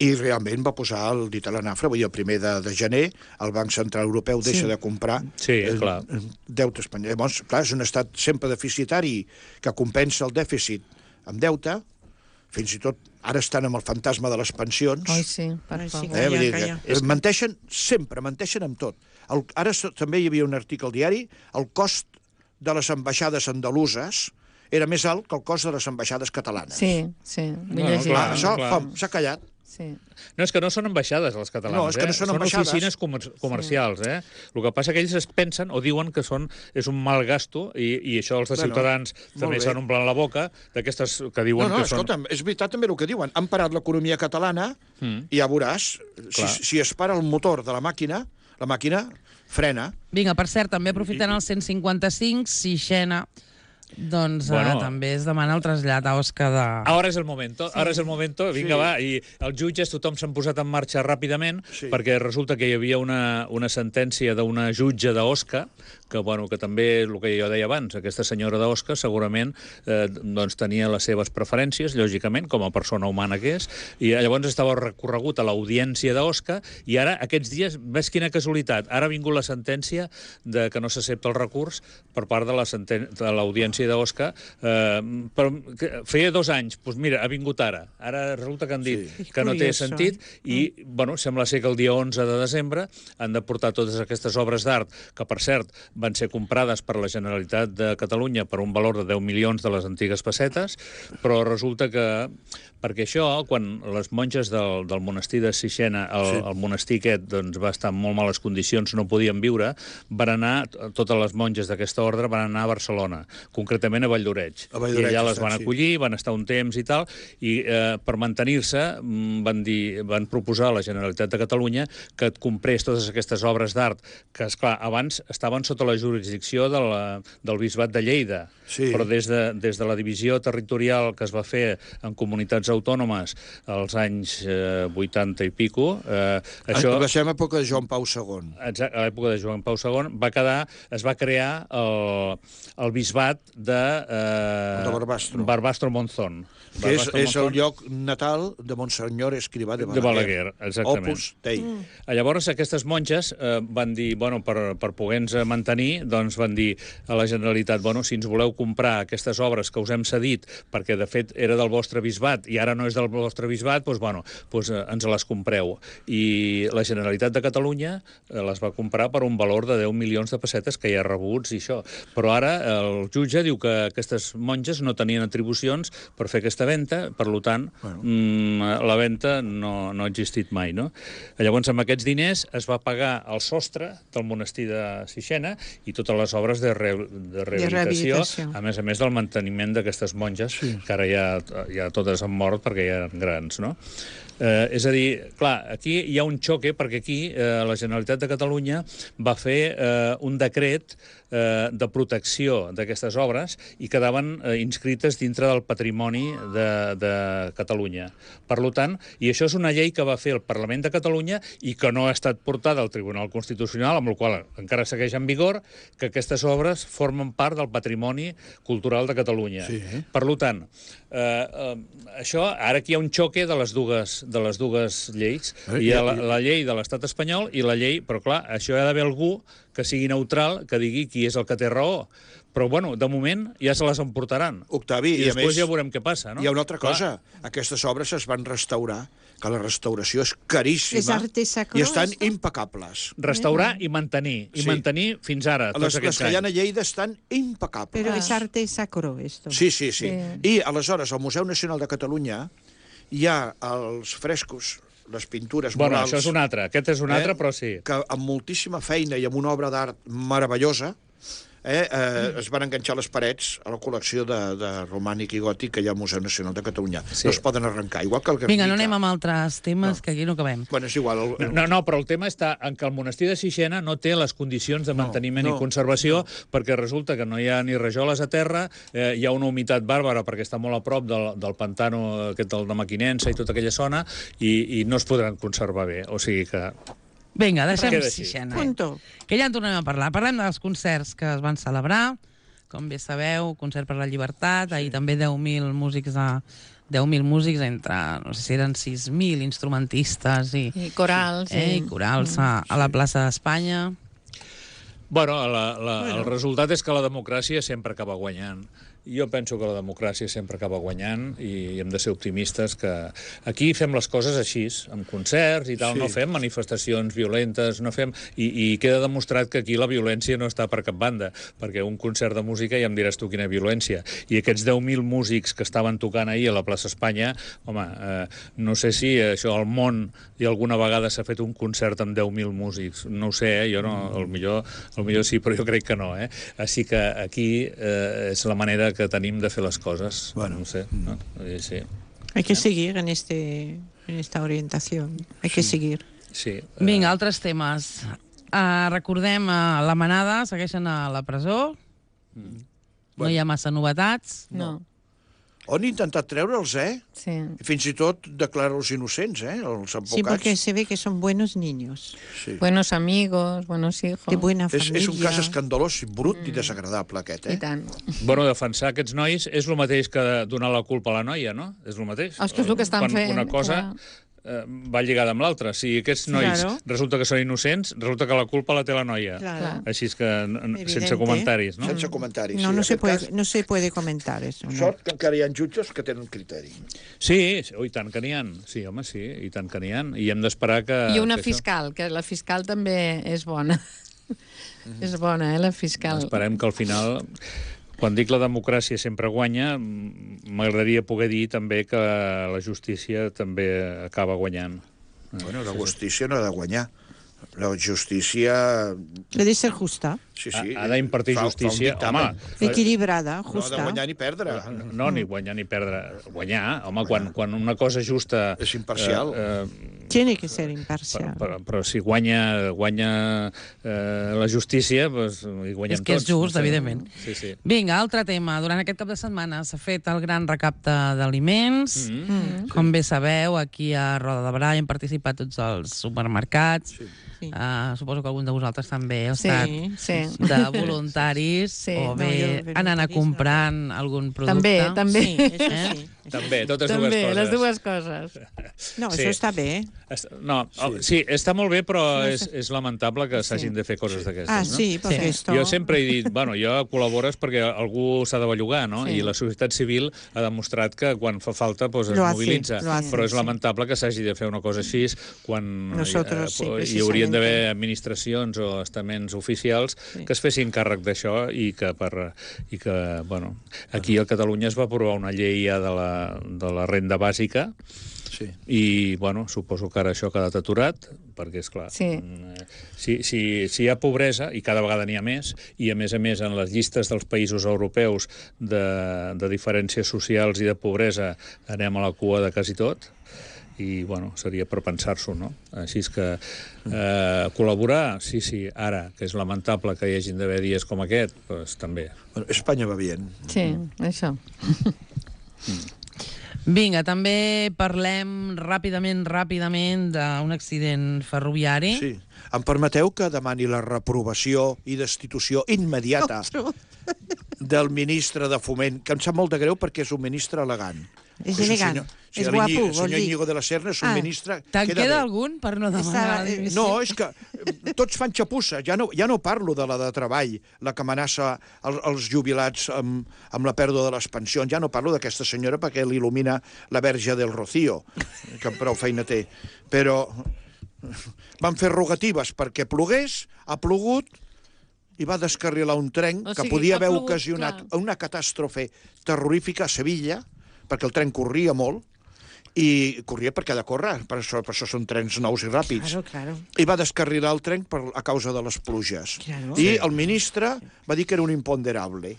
i realment va posar el dit a la nafra. Vull dir, el primer de gener el Banc Central Europeu deixa de comprar deute espanyol. Llavors, clar, és un estat sempre deficitari que compensa el dèficit amb deute, fins i tot ara estan amb el fantasma de les pensions. Oi, sí, per favor. Menteixen sempre, menteixen amb tot. Ara també hi havia un article al diari, el cost de les ambaixades andaluses era més alt que el cost de les ambaixades catalanes. Sí, vull llegir. Això s'ha callat. No, és que no són ambaixades, les catalanes. No, és que no són ambaixades. Són oficines comercials, El que passa que ells es pensen o diuen que és un mal gasto, i això els de Ciutadans també s'han omplert la boca d'aquestes que diuen que són... Escolta'm, és veritat també el que diuen. Han parat l'economia catalana i ja veuràs, si es para el motor de la màquina frena. Vinga, per cert, també aprofitant el 155, Sixena... Doncs també es demana el trasllat a Osca de... Ara és el momento, vinga, va, i els jutges, tothom s'han posat en marxa ràpidament, perquè resulta que hi havia una sentència d'una jutge d'Osca, que també, el que jo deia abans, aquesta senyora d'Osca segurament tenia les seves preferències, lògicament, com a persona humana que és, i llavors estava recorregut a l'audiència d'Osca, i ara, aquests dies, ves quina casualitat, ara ha vingut la sentència de que no s'accepta el recurs per part de l'audiència d'Osca, però feia 2 anys, doncs mira, ha vingut ara resulta que han dit que no té sentit, i sembla ser que el dia 11 de desembre han de portar totes aquestes obres d'art, que per cert van ser comprades per la Generalitat de Catalunya per un valor de 10 milions de les antigues pessetes, però resulta que, perquè això, quan les monges del monestir de Sixena, el monestir aquest va estar en molt males condicions, no podien viure, van anar, totes les monges d'aquesta ordre van anar a Barcelona, concretament a Valldoreix. I allà les van acollir, van estar un temps i tal, i per mantenir-se van proposar a la Generalitat de Catalunya que et comprés totes aquestes obres d'art, que, esclar, abans estaven sota la jurisdicció del Bisbat de Lleida, però des de la divisió territorial que es va fer en comunitats autònomes als anys 80 i pico... Això va ser a l'època de Joan Pau II. Exacte, a l'època de Joan Pau II es va crear el bisbat de Barbastro Monzón. Que és el lloc natal de Monsenyor Escrivà de Balaguer. Exactament. Opus Dei. Llavors aquestes monges van dir, per poder-nos mantenir, doncs van dir a la Generalitat, si ens voleu comprar aquestes obres que us hem cedit, perquè de fet era del vostre bisbat i ara no és del vostre bisbat, doncs ens les compreu. I la Generalitat de Catalunya les va comprar per un valor de 10 milions de pessetes que hi ha rebuts i això. Però ara el jutge diu que aquestes monges no tenien atribucions per fer aquesta venda, per tant, la venda no ha existit mai, no? Llavors, amb aquests diners es va pagar el sostre del monestir de Sixena i totes les obres de rehabilitació, a més del manteniment d'aquestes monges, que ara ja totes han mort perquè ja eren grans, no? És a dir, clar, aquí hi ha un xoque, perquè aquí la Generalitat de Catalunya va fer un decret de protecció d'aquestes obres i quedaven inscrites dintre del patrimoni de Catalunya. Per tant, i això és una llei que va fer el Parlament de Catalunya i que no ha estat portada al Tribunal Constitucional, amb la qual encara segueix en vigor, que aquestes obres formen part del patrimoni cultural de Catalunya. Per tant, això, ara aquí hi ha un xoque de les dues lleis. Hi ha la llei de l'Estat espanyol i la llei, però clar, això hi ha d'haver algú que sigui neutral, que digui qui és el que té raó. Però, de moment ja se les emportaran. Octavi, i després ja veurem què passa, no? Hi ha una altra cosa. Aquestes obres es van restaurar, que la restauració és caríssima i estan impecables. Restaurar i mantenir. I mantenir fins ara, tots aquests anys. Les que hi ha a Lleida estan impecables. Però és arte sacro, esto. Sí. I, aleshores, el Museu Nacional de Catalunya hi ha els frescos, les pintures murals... Bueno, això és un altre, aquest és un altre, però sí. Que amb moltíssima feina i amb una obra d'art meravellosa es van enganxar les parets a la col·lecció de romànic i gòtic que hi ha al Museu Nacional de Catalunya. No es poden arrencar, igual que el Guernica. Vinga, no anem amb altres temes, que aquí no acabem. Bueno, és igual. No, però el tema està en que el monestir de Sixena no té les condicions de manteniment i conservació, perquè resulta que no hi ha ni rajoles a terra, hi ha una humitat bàrbara perquè està molt a prop del pantano aquest de Maquinensa i tota aquella zona, i no es podran conservar bé. O sigui que... Vinga, deixem Sixena. Que ja en tornem a parlar. Parlem dels concerts que es van celebrar. Com bé sabeu, concert per la llibertat. Ahir també 10.000 músics entre, no sé si eren 6.000 instrumentistes i corals. I corals a la plaça d'Espanya. Bueno, el resultat és que la democràcia sempre acaba guanyant. Jo penso que la democràcia sempre acaba guanyant i hem de ser optimistes que aquí fem les coses així, amb concerts i tal, no fem manifestacions violentes, no fem... I queda demostrat que aquí la violència no està per cap banda, perquè un concert de música ja em diràs tu quina violència. I aquests 10.000 músics que estaven tocant ahir a la plaça Espanya, home, no sé si això al món i alguna vegada s'ha fet un concert amb 10.000 músics. No ho sé, jo no, al millor sí, però jo crec que no, Així que aquí és la manera que tenim de fer les coses. Bueno, no sé, ¿no? Sí. Hay que seguir en esta orientación. Hay que seguir. Sí. Vinga, altres temes. Recordem, la Manada segueixen a la presó. No hi ha massa novetats. No. Han intentat treure'ls, Sí. I fins i tot declarar-los innocents, els advocats. Sí, porque se ve que son buenos niños. Sí. Buenos amigos, buenos hijos. De buena familia. És un cas escandalós, brut i desagradable, aquest, I tant. Bueno, defensar aquests nois és el mateix que donar la culpa a la noia, no? És el mateix. És que és el que estan fent. Una cosa va lligada amb l'altra. Si aquests nois resulta que són innocents, resulta que la culpa la té la noia. Així és que sense comentaris, no? Sense comentaris. No se puede comentar eso. Sort que encara hi ha jutges que tenen criteri. Sí, i tant que n'hi ha. Sí, home, sí, i tant que n'hi ha. I hem d'esperar que... I una fiscal, que la fiscal també és bona. És bona, la fiscal. Esperem que al final... Quan dic la democràcia sempre guanya, m'agradaria poder dir també que la justícia també acaba guanyant. Bueno, la justícia no ha de guanyar. La justícia... Ha de ser justa. Sí. Ha d'impartir justícia. Home, equilibrada, justa. No ha de guanyar ni perdre. No, ni guanyar ni perdre. Guanyar, home, quan una cosa justa... És imparcial. Tiene que ser imparcial. Però si guanya la justícia, doncs hi guanyem tots. És que és just, evidentment. Sí. Vinga, altre tema. Durant aquest cap de setmana s'ha fet el gran recapte d'aliments. Com bé sabeu, aquí a Roda de Barà hi han participat tots els supermercats. Suposo que algun de vosaltres també heu estat de voluntaris o bé anant a comprant algun producte. També. També, totes dues coses. Les dues coses. No, això està bé. Sí, està molt bé, però és lamentable que s'hagin de fer coses d'aquestes. Sí, perquè esto... Jo sempre he dit, bueno, jo col·labores perquè algú s'ha de bellugar, no? I la societat civil ha demostrat que quan fa falta es mobilitza. Però és lamentable que s'hagi de fer una cosa així quan hi haurien d'haver administracions o estaments oficials que es fessin càrrec d'això i que, bueno, aquí a Catalunya es va aprovar una llei ja de la renda bàsica i, bueno, suposo que ara això ha quedat aturat perquè, esclar, si hi ha pobresa, i cada vegada n'hi ha més, i a més en les llistes dels països europeus de diferències socials i de pobresa anem a la cua de quasi tot, i, bueno, seria per pensar-s'ho, no? Així és que col·laborar, sí, ara, que és lamentable que hi hagin d'haver dies com aquest, doncs també. Bueno, Espanya va bé. Sí, això. Vinga, també parlem ràpidament d'un accident ferroviari. Sí. Em permeteu que demani la reprovació i destitució immediata del ministre de Foment, que em sap molt de greu perquè és un ministre elegant. És elegant, és guapo, el senyor Íñigo de la Serna és un ministre... Te'n queda algun per no demanar la dimissió? No, és que tots fan xapussa. Ja no parlo de la de treball, la que amenaça els jubilats amb la pèrdua de les pensions. Ja no parlo d'aquesta senyora perquè l'il·lumina la Verge del Rocío, que prou feina té. Però van fer rogatives perquè plogués, ha plogut, i va descarrilar un tren que podia haver ocasionat una catàstrofe terrorífica a Sevilla, perquè el tren corria molt, i corria perquè ha de córrer, per això són trens nous i ràpids. Claro. I va descarrilar el tren a causa de les pluges. I el ministre va dir que era un imponderable.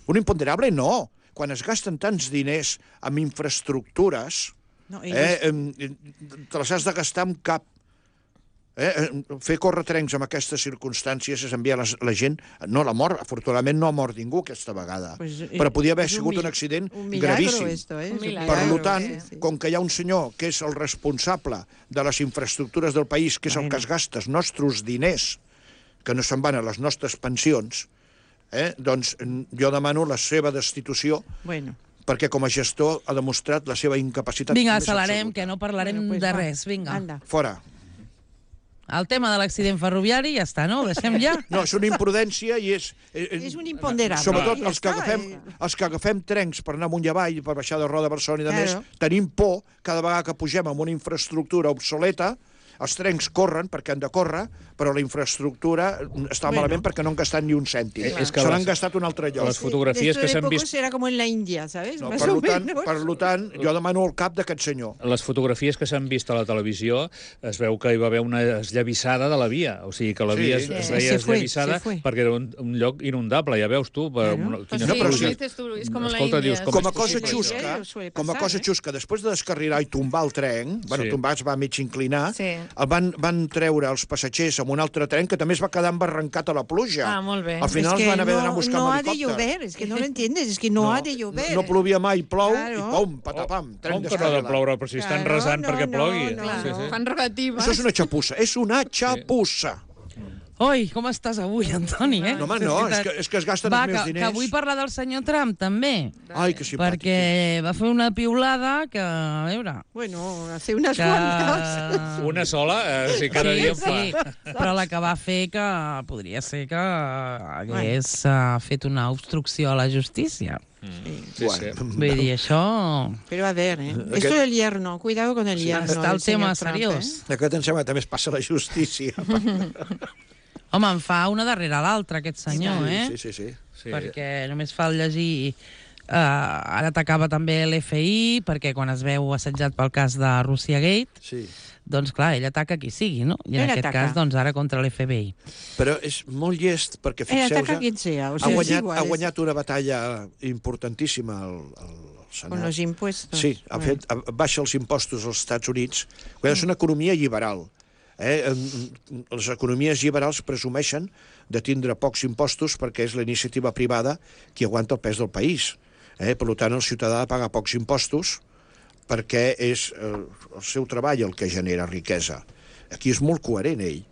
Un imponderable no. Quan es gasten tants diners en infraestructures, te les has de gastar amb cap. Fer córrer trens en aquestes circumstàncies és enviar la gent... No, la mort, afortunadament no ha mort ningú aquesta vegada, però podia haver sigut un accident gravíssim. Per tant, com que hi ha un senyor que és el responsable de les infraestructures del país, que és el que es gasta els nostres diners, que no se'n van a les nostres pensions, doncs jo demano la seva destitució, perquè com a gestor ha demostrat la seva incapacitat. Vinga, accelerem, que no parlarem de res. Vinga. Fora. El tema de l'accident ferroviari ja està, no? Ho deixem ja? No, és una imprudència i és... És un imponderable. Sobretot els que agafem trens per anar amunt i avall, per baixar de Roda a Barcelona i de més, tenim por cada vegada que pugem en una infraestructura obsoleta. Els trens corren perquè han de córrer, però la infraestructura està malament perquè no han gastat ni un cèntim. Se l'han gastat un altre lloc. Les fotografies que s'han vist... Serà com en la Índia, ¿sabes? Per tant, jo demano el cap d'aquest senyor. Les fotografies que s'han vist a la televisió es veu que hi va haver una esllavissada de la via. O sigui, que la via es veia esllavissada perquè era un lloc inundable, ja veus tu. Com a cosa xusca, després de descarrilar i tombar el tren, tombar es va mig inclinar, van treure els passatgers amb un altre tren que també es va quedar embarrancat a la pluja. Molt bé. Al final van haver d'anar a buscar un helicòpter. No ha de llover, és que no l'entiendes, és que no ha de llover. No plovia mai, plou, i pum, patapam, tren descarrilat. Com que no ha de ploure, però si estan resant perquè plogui. Fan regatives. Això és una xapussa, és una xapussa. Oi, com estàs avui, Antoni, No, home, no, és que es gasten els meus diners. Que vull parlar del senyor Trump, també. Ai, que simpàtic. Perquè va fer una piulada que, a veure... Bueno, hace unes quantes. Una sola, cada dia en fa. Sí, però la que va fer que podria ser que hagués fet una obstrucció a la justícia. Vull dir, això... Però a ver, esto del yerno, cuidado con el yerno. Està el tema seriós. Aquest em sembla que també es passa a la justícia. Home, en fa una darrere l'altra, aquest senyor, Sí. Perquè només fa el llegir... Ara atacava també l'FI, perquè quan es veu assetjat pel cas de Russiagate, doncs clar, ell ataca qui sigui, no? I en aquest cas, doncs ara contra l'FBI. Però és molt llest, perquè fixeu-vos, ha guanyat una batalla importantíssima al Senat. Con los impuestos. Sí, baixa els impostos als Estats Units. És una economia lliberal. Les economies lliberals presumeixen de tindre pocs impostos perquè és la iniciativa privada qui aguanta el pes del país. Per tant, el ciutadà ha de pagar pocs impostos perquè és el seu treball el que genera riquesa. Aquí és molt coherent, ell.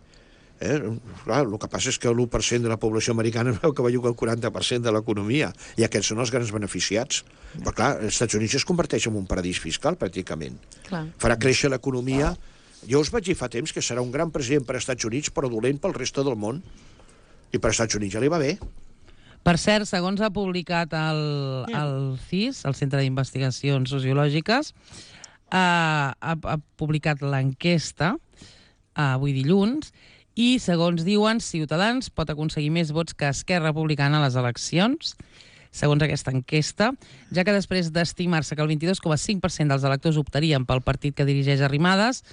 Clar, el que passa és que l'1% de la població americana veu que belluga el 40% de l'economia, i aquests són els grans beneficiats. Però clar, els Estats Units es converteix en un paradís fiscal, pràcticament. Farà créixer l'economia. Jo us vaig dir fa temps que serà un gran president per als Estats Units, però dolent pel reste del món. I per als Estats Units ja li va bé. Per cert, segons ha publicat el CIS, el Centre d'Investigacions Sociològiques, ha publicat l'enquesta avui dilluns, i segons diuen, Ciutadans pot aconseguir més vots que Esquerra Republicana a les eleccions, segons aquesta enquesta, ja que després d'estimar-se que el 22,5% dels electors optarien pel partit que dirigeix Arrimadas,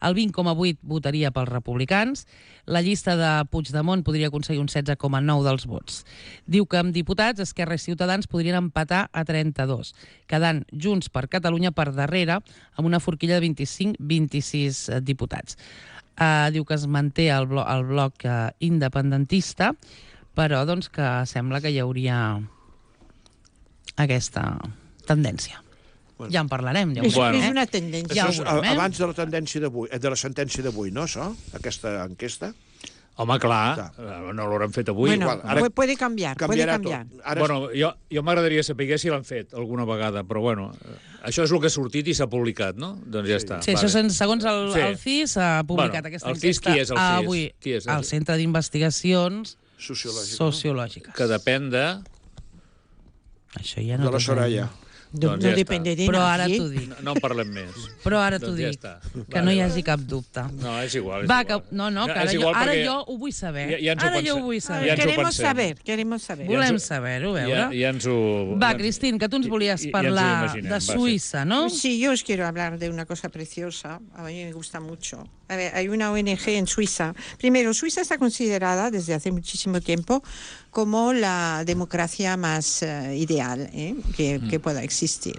el 20,8% votaria pels republicans, la llista de Puigdemont podria aconseguir un 16,9% dels vots. Diu que amb diputats, Esquerra i Ciutadans podrien empatar a 32, quedant Junts per Catalunya per darrere, amb una forquilla de 25-26 diputats. Diu que es manté el bloc independentista, però doncs que sembla que hi hauria aquesta tendència. Ja en parlarem. És una tendència. Abans de la tendència d'avui, de la sentència d'avui, no, això? Aquesta enquesta? Home, clar, no l'hauran fet avui. Bueno, puede cambiar. Bueno, jo m'agradaria saber si l'han fet alguna vegada, però bueno, això és el que ha sortit i s'ha publicat, no? Doncs ja està. Sí, això segons el CIS s'ha publicat aquesta enquesta avui al Centre d'Investigacions Sociològiques. Que depèn de... Això ja no... De la Soraya. No depende de però ara t'ho dic. No en parlem més. Però ara t'ho dic, que no hi hagi cap dubte. No, és igual. No, que ara jo ho vull saber. Ara jo ho vull saber. Queremos saber. Volem saber-ho, veure. Va, Cristín, que tu ens volies parlar de Suïssa, ¿no? Sí, yo os quiero hablar de una cosa preciosa. A mí me gusta mucho. A ver, hay una ONG en Suiza. Primero, Suiza está considerada desde hace muchísimo tiempo como la democracia más ideal que pueda existir.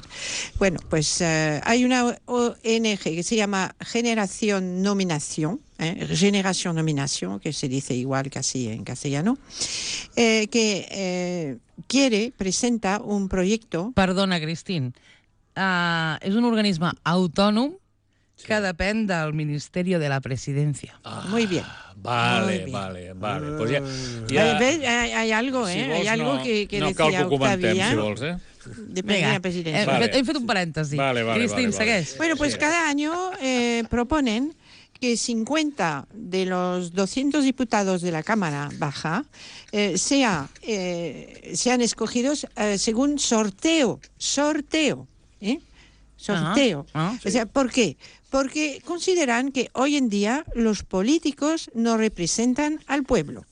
Bueno, pues hay una ONG que se llama Generación Nominación, que se dice igual casi en castellano, que presenta un proyecto... Perdona, Cristín. És un organisme autònom que depèn del Ministeri de la Presidència. Muy bien. Vale. Pues hay algo, hay algo que no decía cal que ho comentem, si vols, Depende de la presidencia. Hem fet un parèntesi. Cristín, segueix. Bueno, pues cada año proponen que 50 de los 200 diputados de la Cámara Baja sean escogidos según sorteo. Sorteo. O sea, ¿por qué? Porque consideran que hoy en día los políticos no representan al pueblo,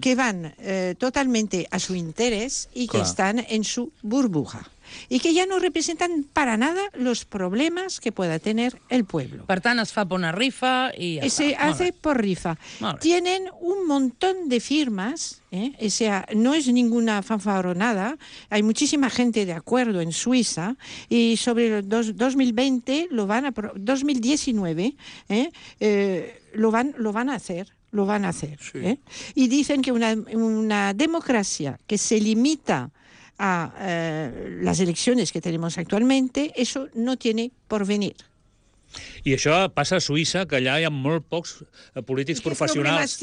que van totalmente a su interés y que están en su burbuja. Y que ya no representan para nada los problemas que pueda tener el pueblo. Per tant, es fa por una rifa y ya se hace por rifa. Tienen un montón de firmas, o sea, no es ninguna fanfarronada. Hay muchísima gente de acuerdo en Suiza y sobre el 2020 2019 lo van a hacer. Lo van a hacer. Sí. Y dicen que una democracia que se limita a las elecciones que tenemos actualmente, eso no tiene porvenir. I això passa a Suïssa, que allà hi ha molt pocs polítics professionals.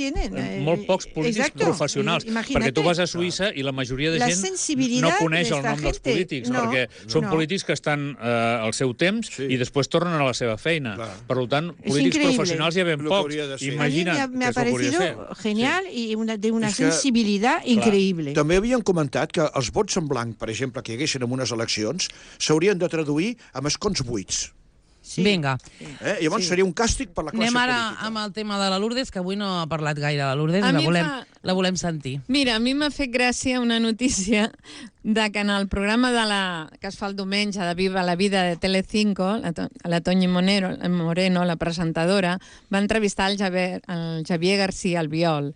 Molt pocs polítics professionals. Perquè tu vas a Suïssa i la majoria de gent no coneix el nom dels polítics, perquè són polítics que estan al seu temps i després tornen a la seva feina. Per tant, polítics professionals hi ha ben pocs. Imagina't me ha parecido genial i de una sensibilitat increïble. També havien comentat que els vots en blanc, per exemple, que hi haguessin en unes eleccions, s'haurien de traduir amb escons buits. Sí. Vinga. Llavors seria un càstig per la classe política. Anem ara amb el tema de la Lourdes, que avui no ha parlat gaire de la Lourdes, la volem sentir. Mira, a mi m'ha fet gràcia una notícia de que en el programa que es fa el diumenge de Viva la Vida de Telecinco, la Toñi Moreno, la presentadora, va entrevistar el Javier García Albiol.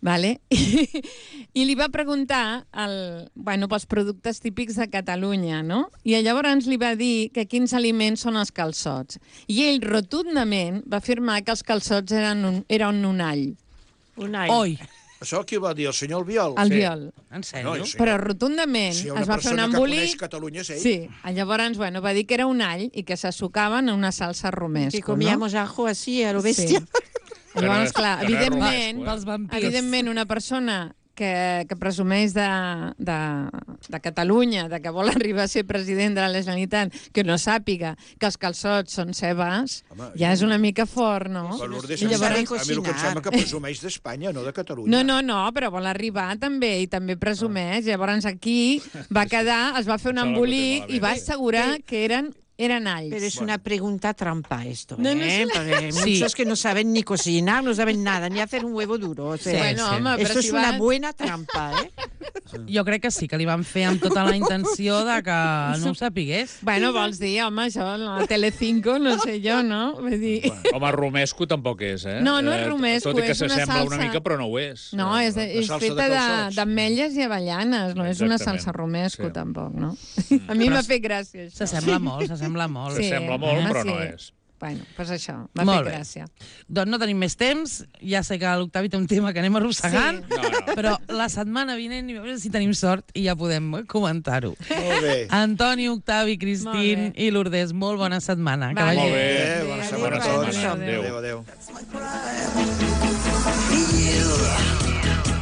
Vale? I li va preguntar pels productes típics de Catalunya, no? I llavors li va dir que quins aliments són els calçots. I ell rotundament va afirmar que els calçots eren un all. Un all. Oi! Això qui va dir, el senyor Albiol? Albiol. En sèrio? Però rotundament es va fer un embolic... Si una persona que coneix Catalunya és ell. Sí, llavors va dir que era un all i que se sucaven en una salsa romesco. Que comíamos ajo así a lo bestia. Llavors, clar, evidentment una persona que presumeix de Catalunya, de que vol arribar a ser president de la Generalitat, que no sàpiga que els calçots són cebes, ja és una mica fort, no? A mi el que em sembla que presumeix d'Espanya, no de Catalunya. No, però vol arribar també, i també presumeix. Llavors aquí va quedar, es va fer un embolic i va assegurar que eren alls. Pero es una pregunta trampa esto, Porque muchos que no saben ni cocinar, no saben nada, ni hacer un huevo duro. O sea, esto es una buena trampa, Jo crec que sí, que li van fer amb tota la intenció de que no ho sapigués. Bueno, vols dir, home, això, la Telecinco, no sé jo, no? Vull dir... Home, romesco tampoc és, No, no és romesco, tot i que és una s'assembla salsa... una mica, però no ho és. No, és feta d'ametlles i avellanes, no és una salsa romesco, tampoc, no? A mi m'ha fet gràcia, això. S'assembla molt. S'assembla molt, però no és. Bueno, doncs això, m'ha fet gràcia. Doncs no tenim més temps, ja sé que l'Octavi té un tema que anem arrossegant, però la setmana vinent, a veure si tenim sort i ja podem comentar-ho. Molt bé. Antoni, Octavi, Cristín i Lourdes, molt bona setmana. Molt bé, bona setmana a tots. Adéu.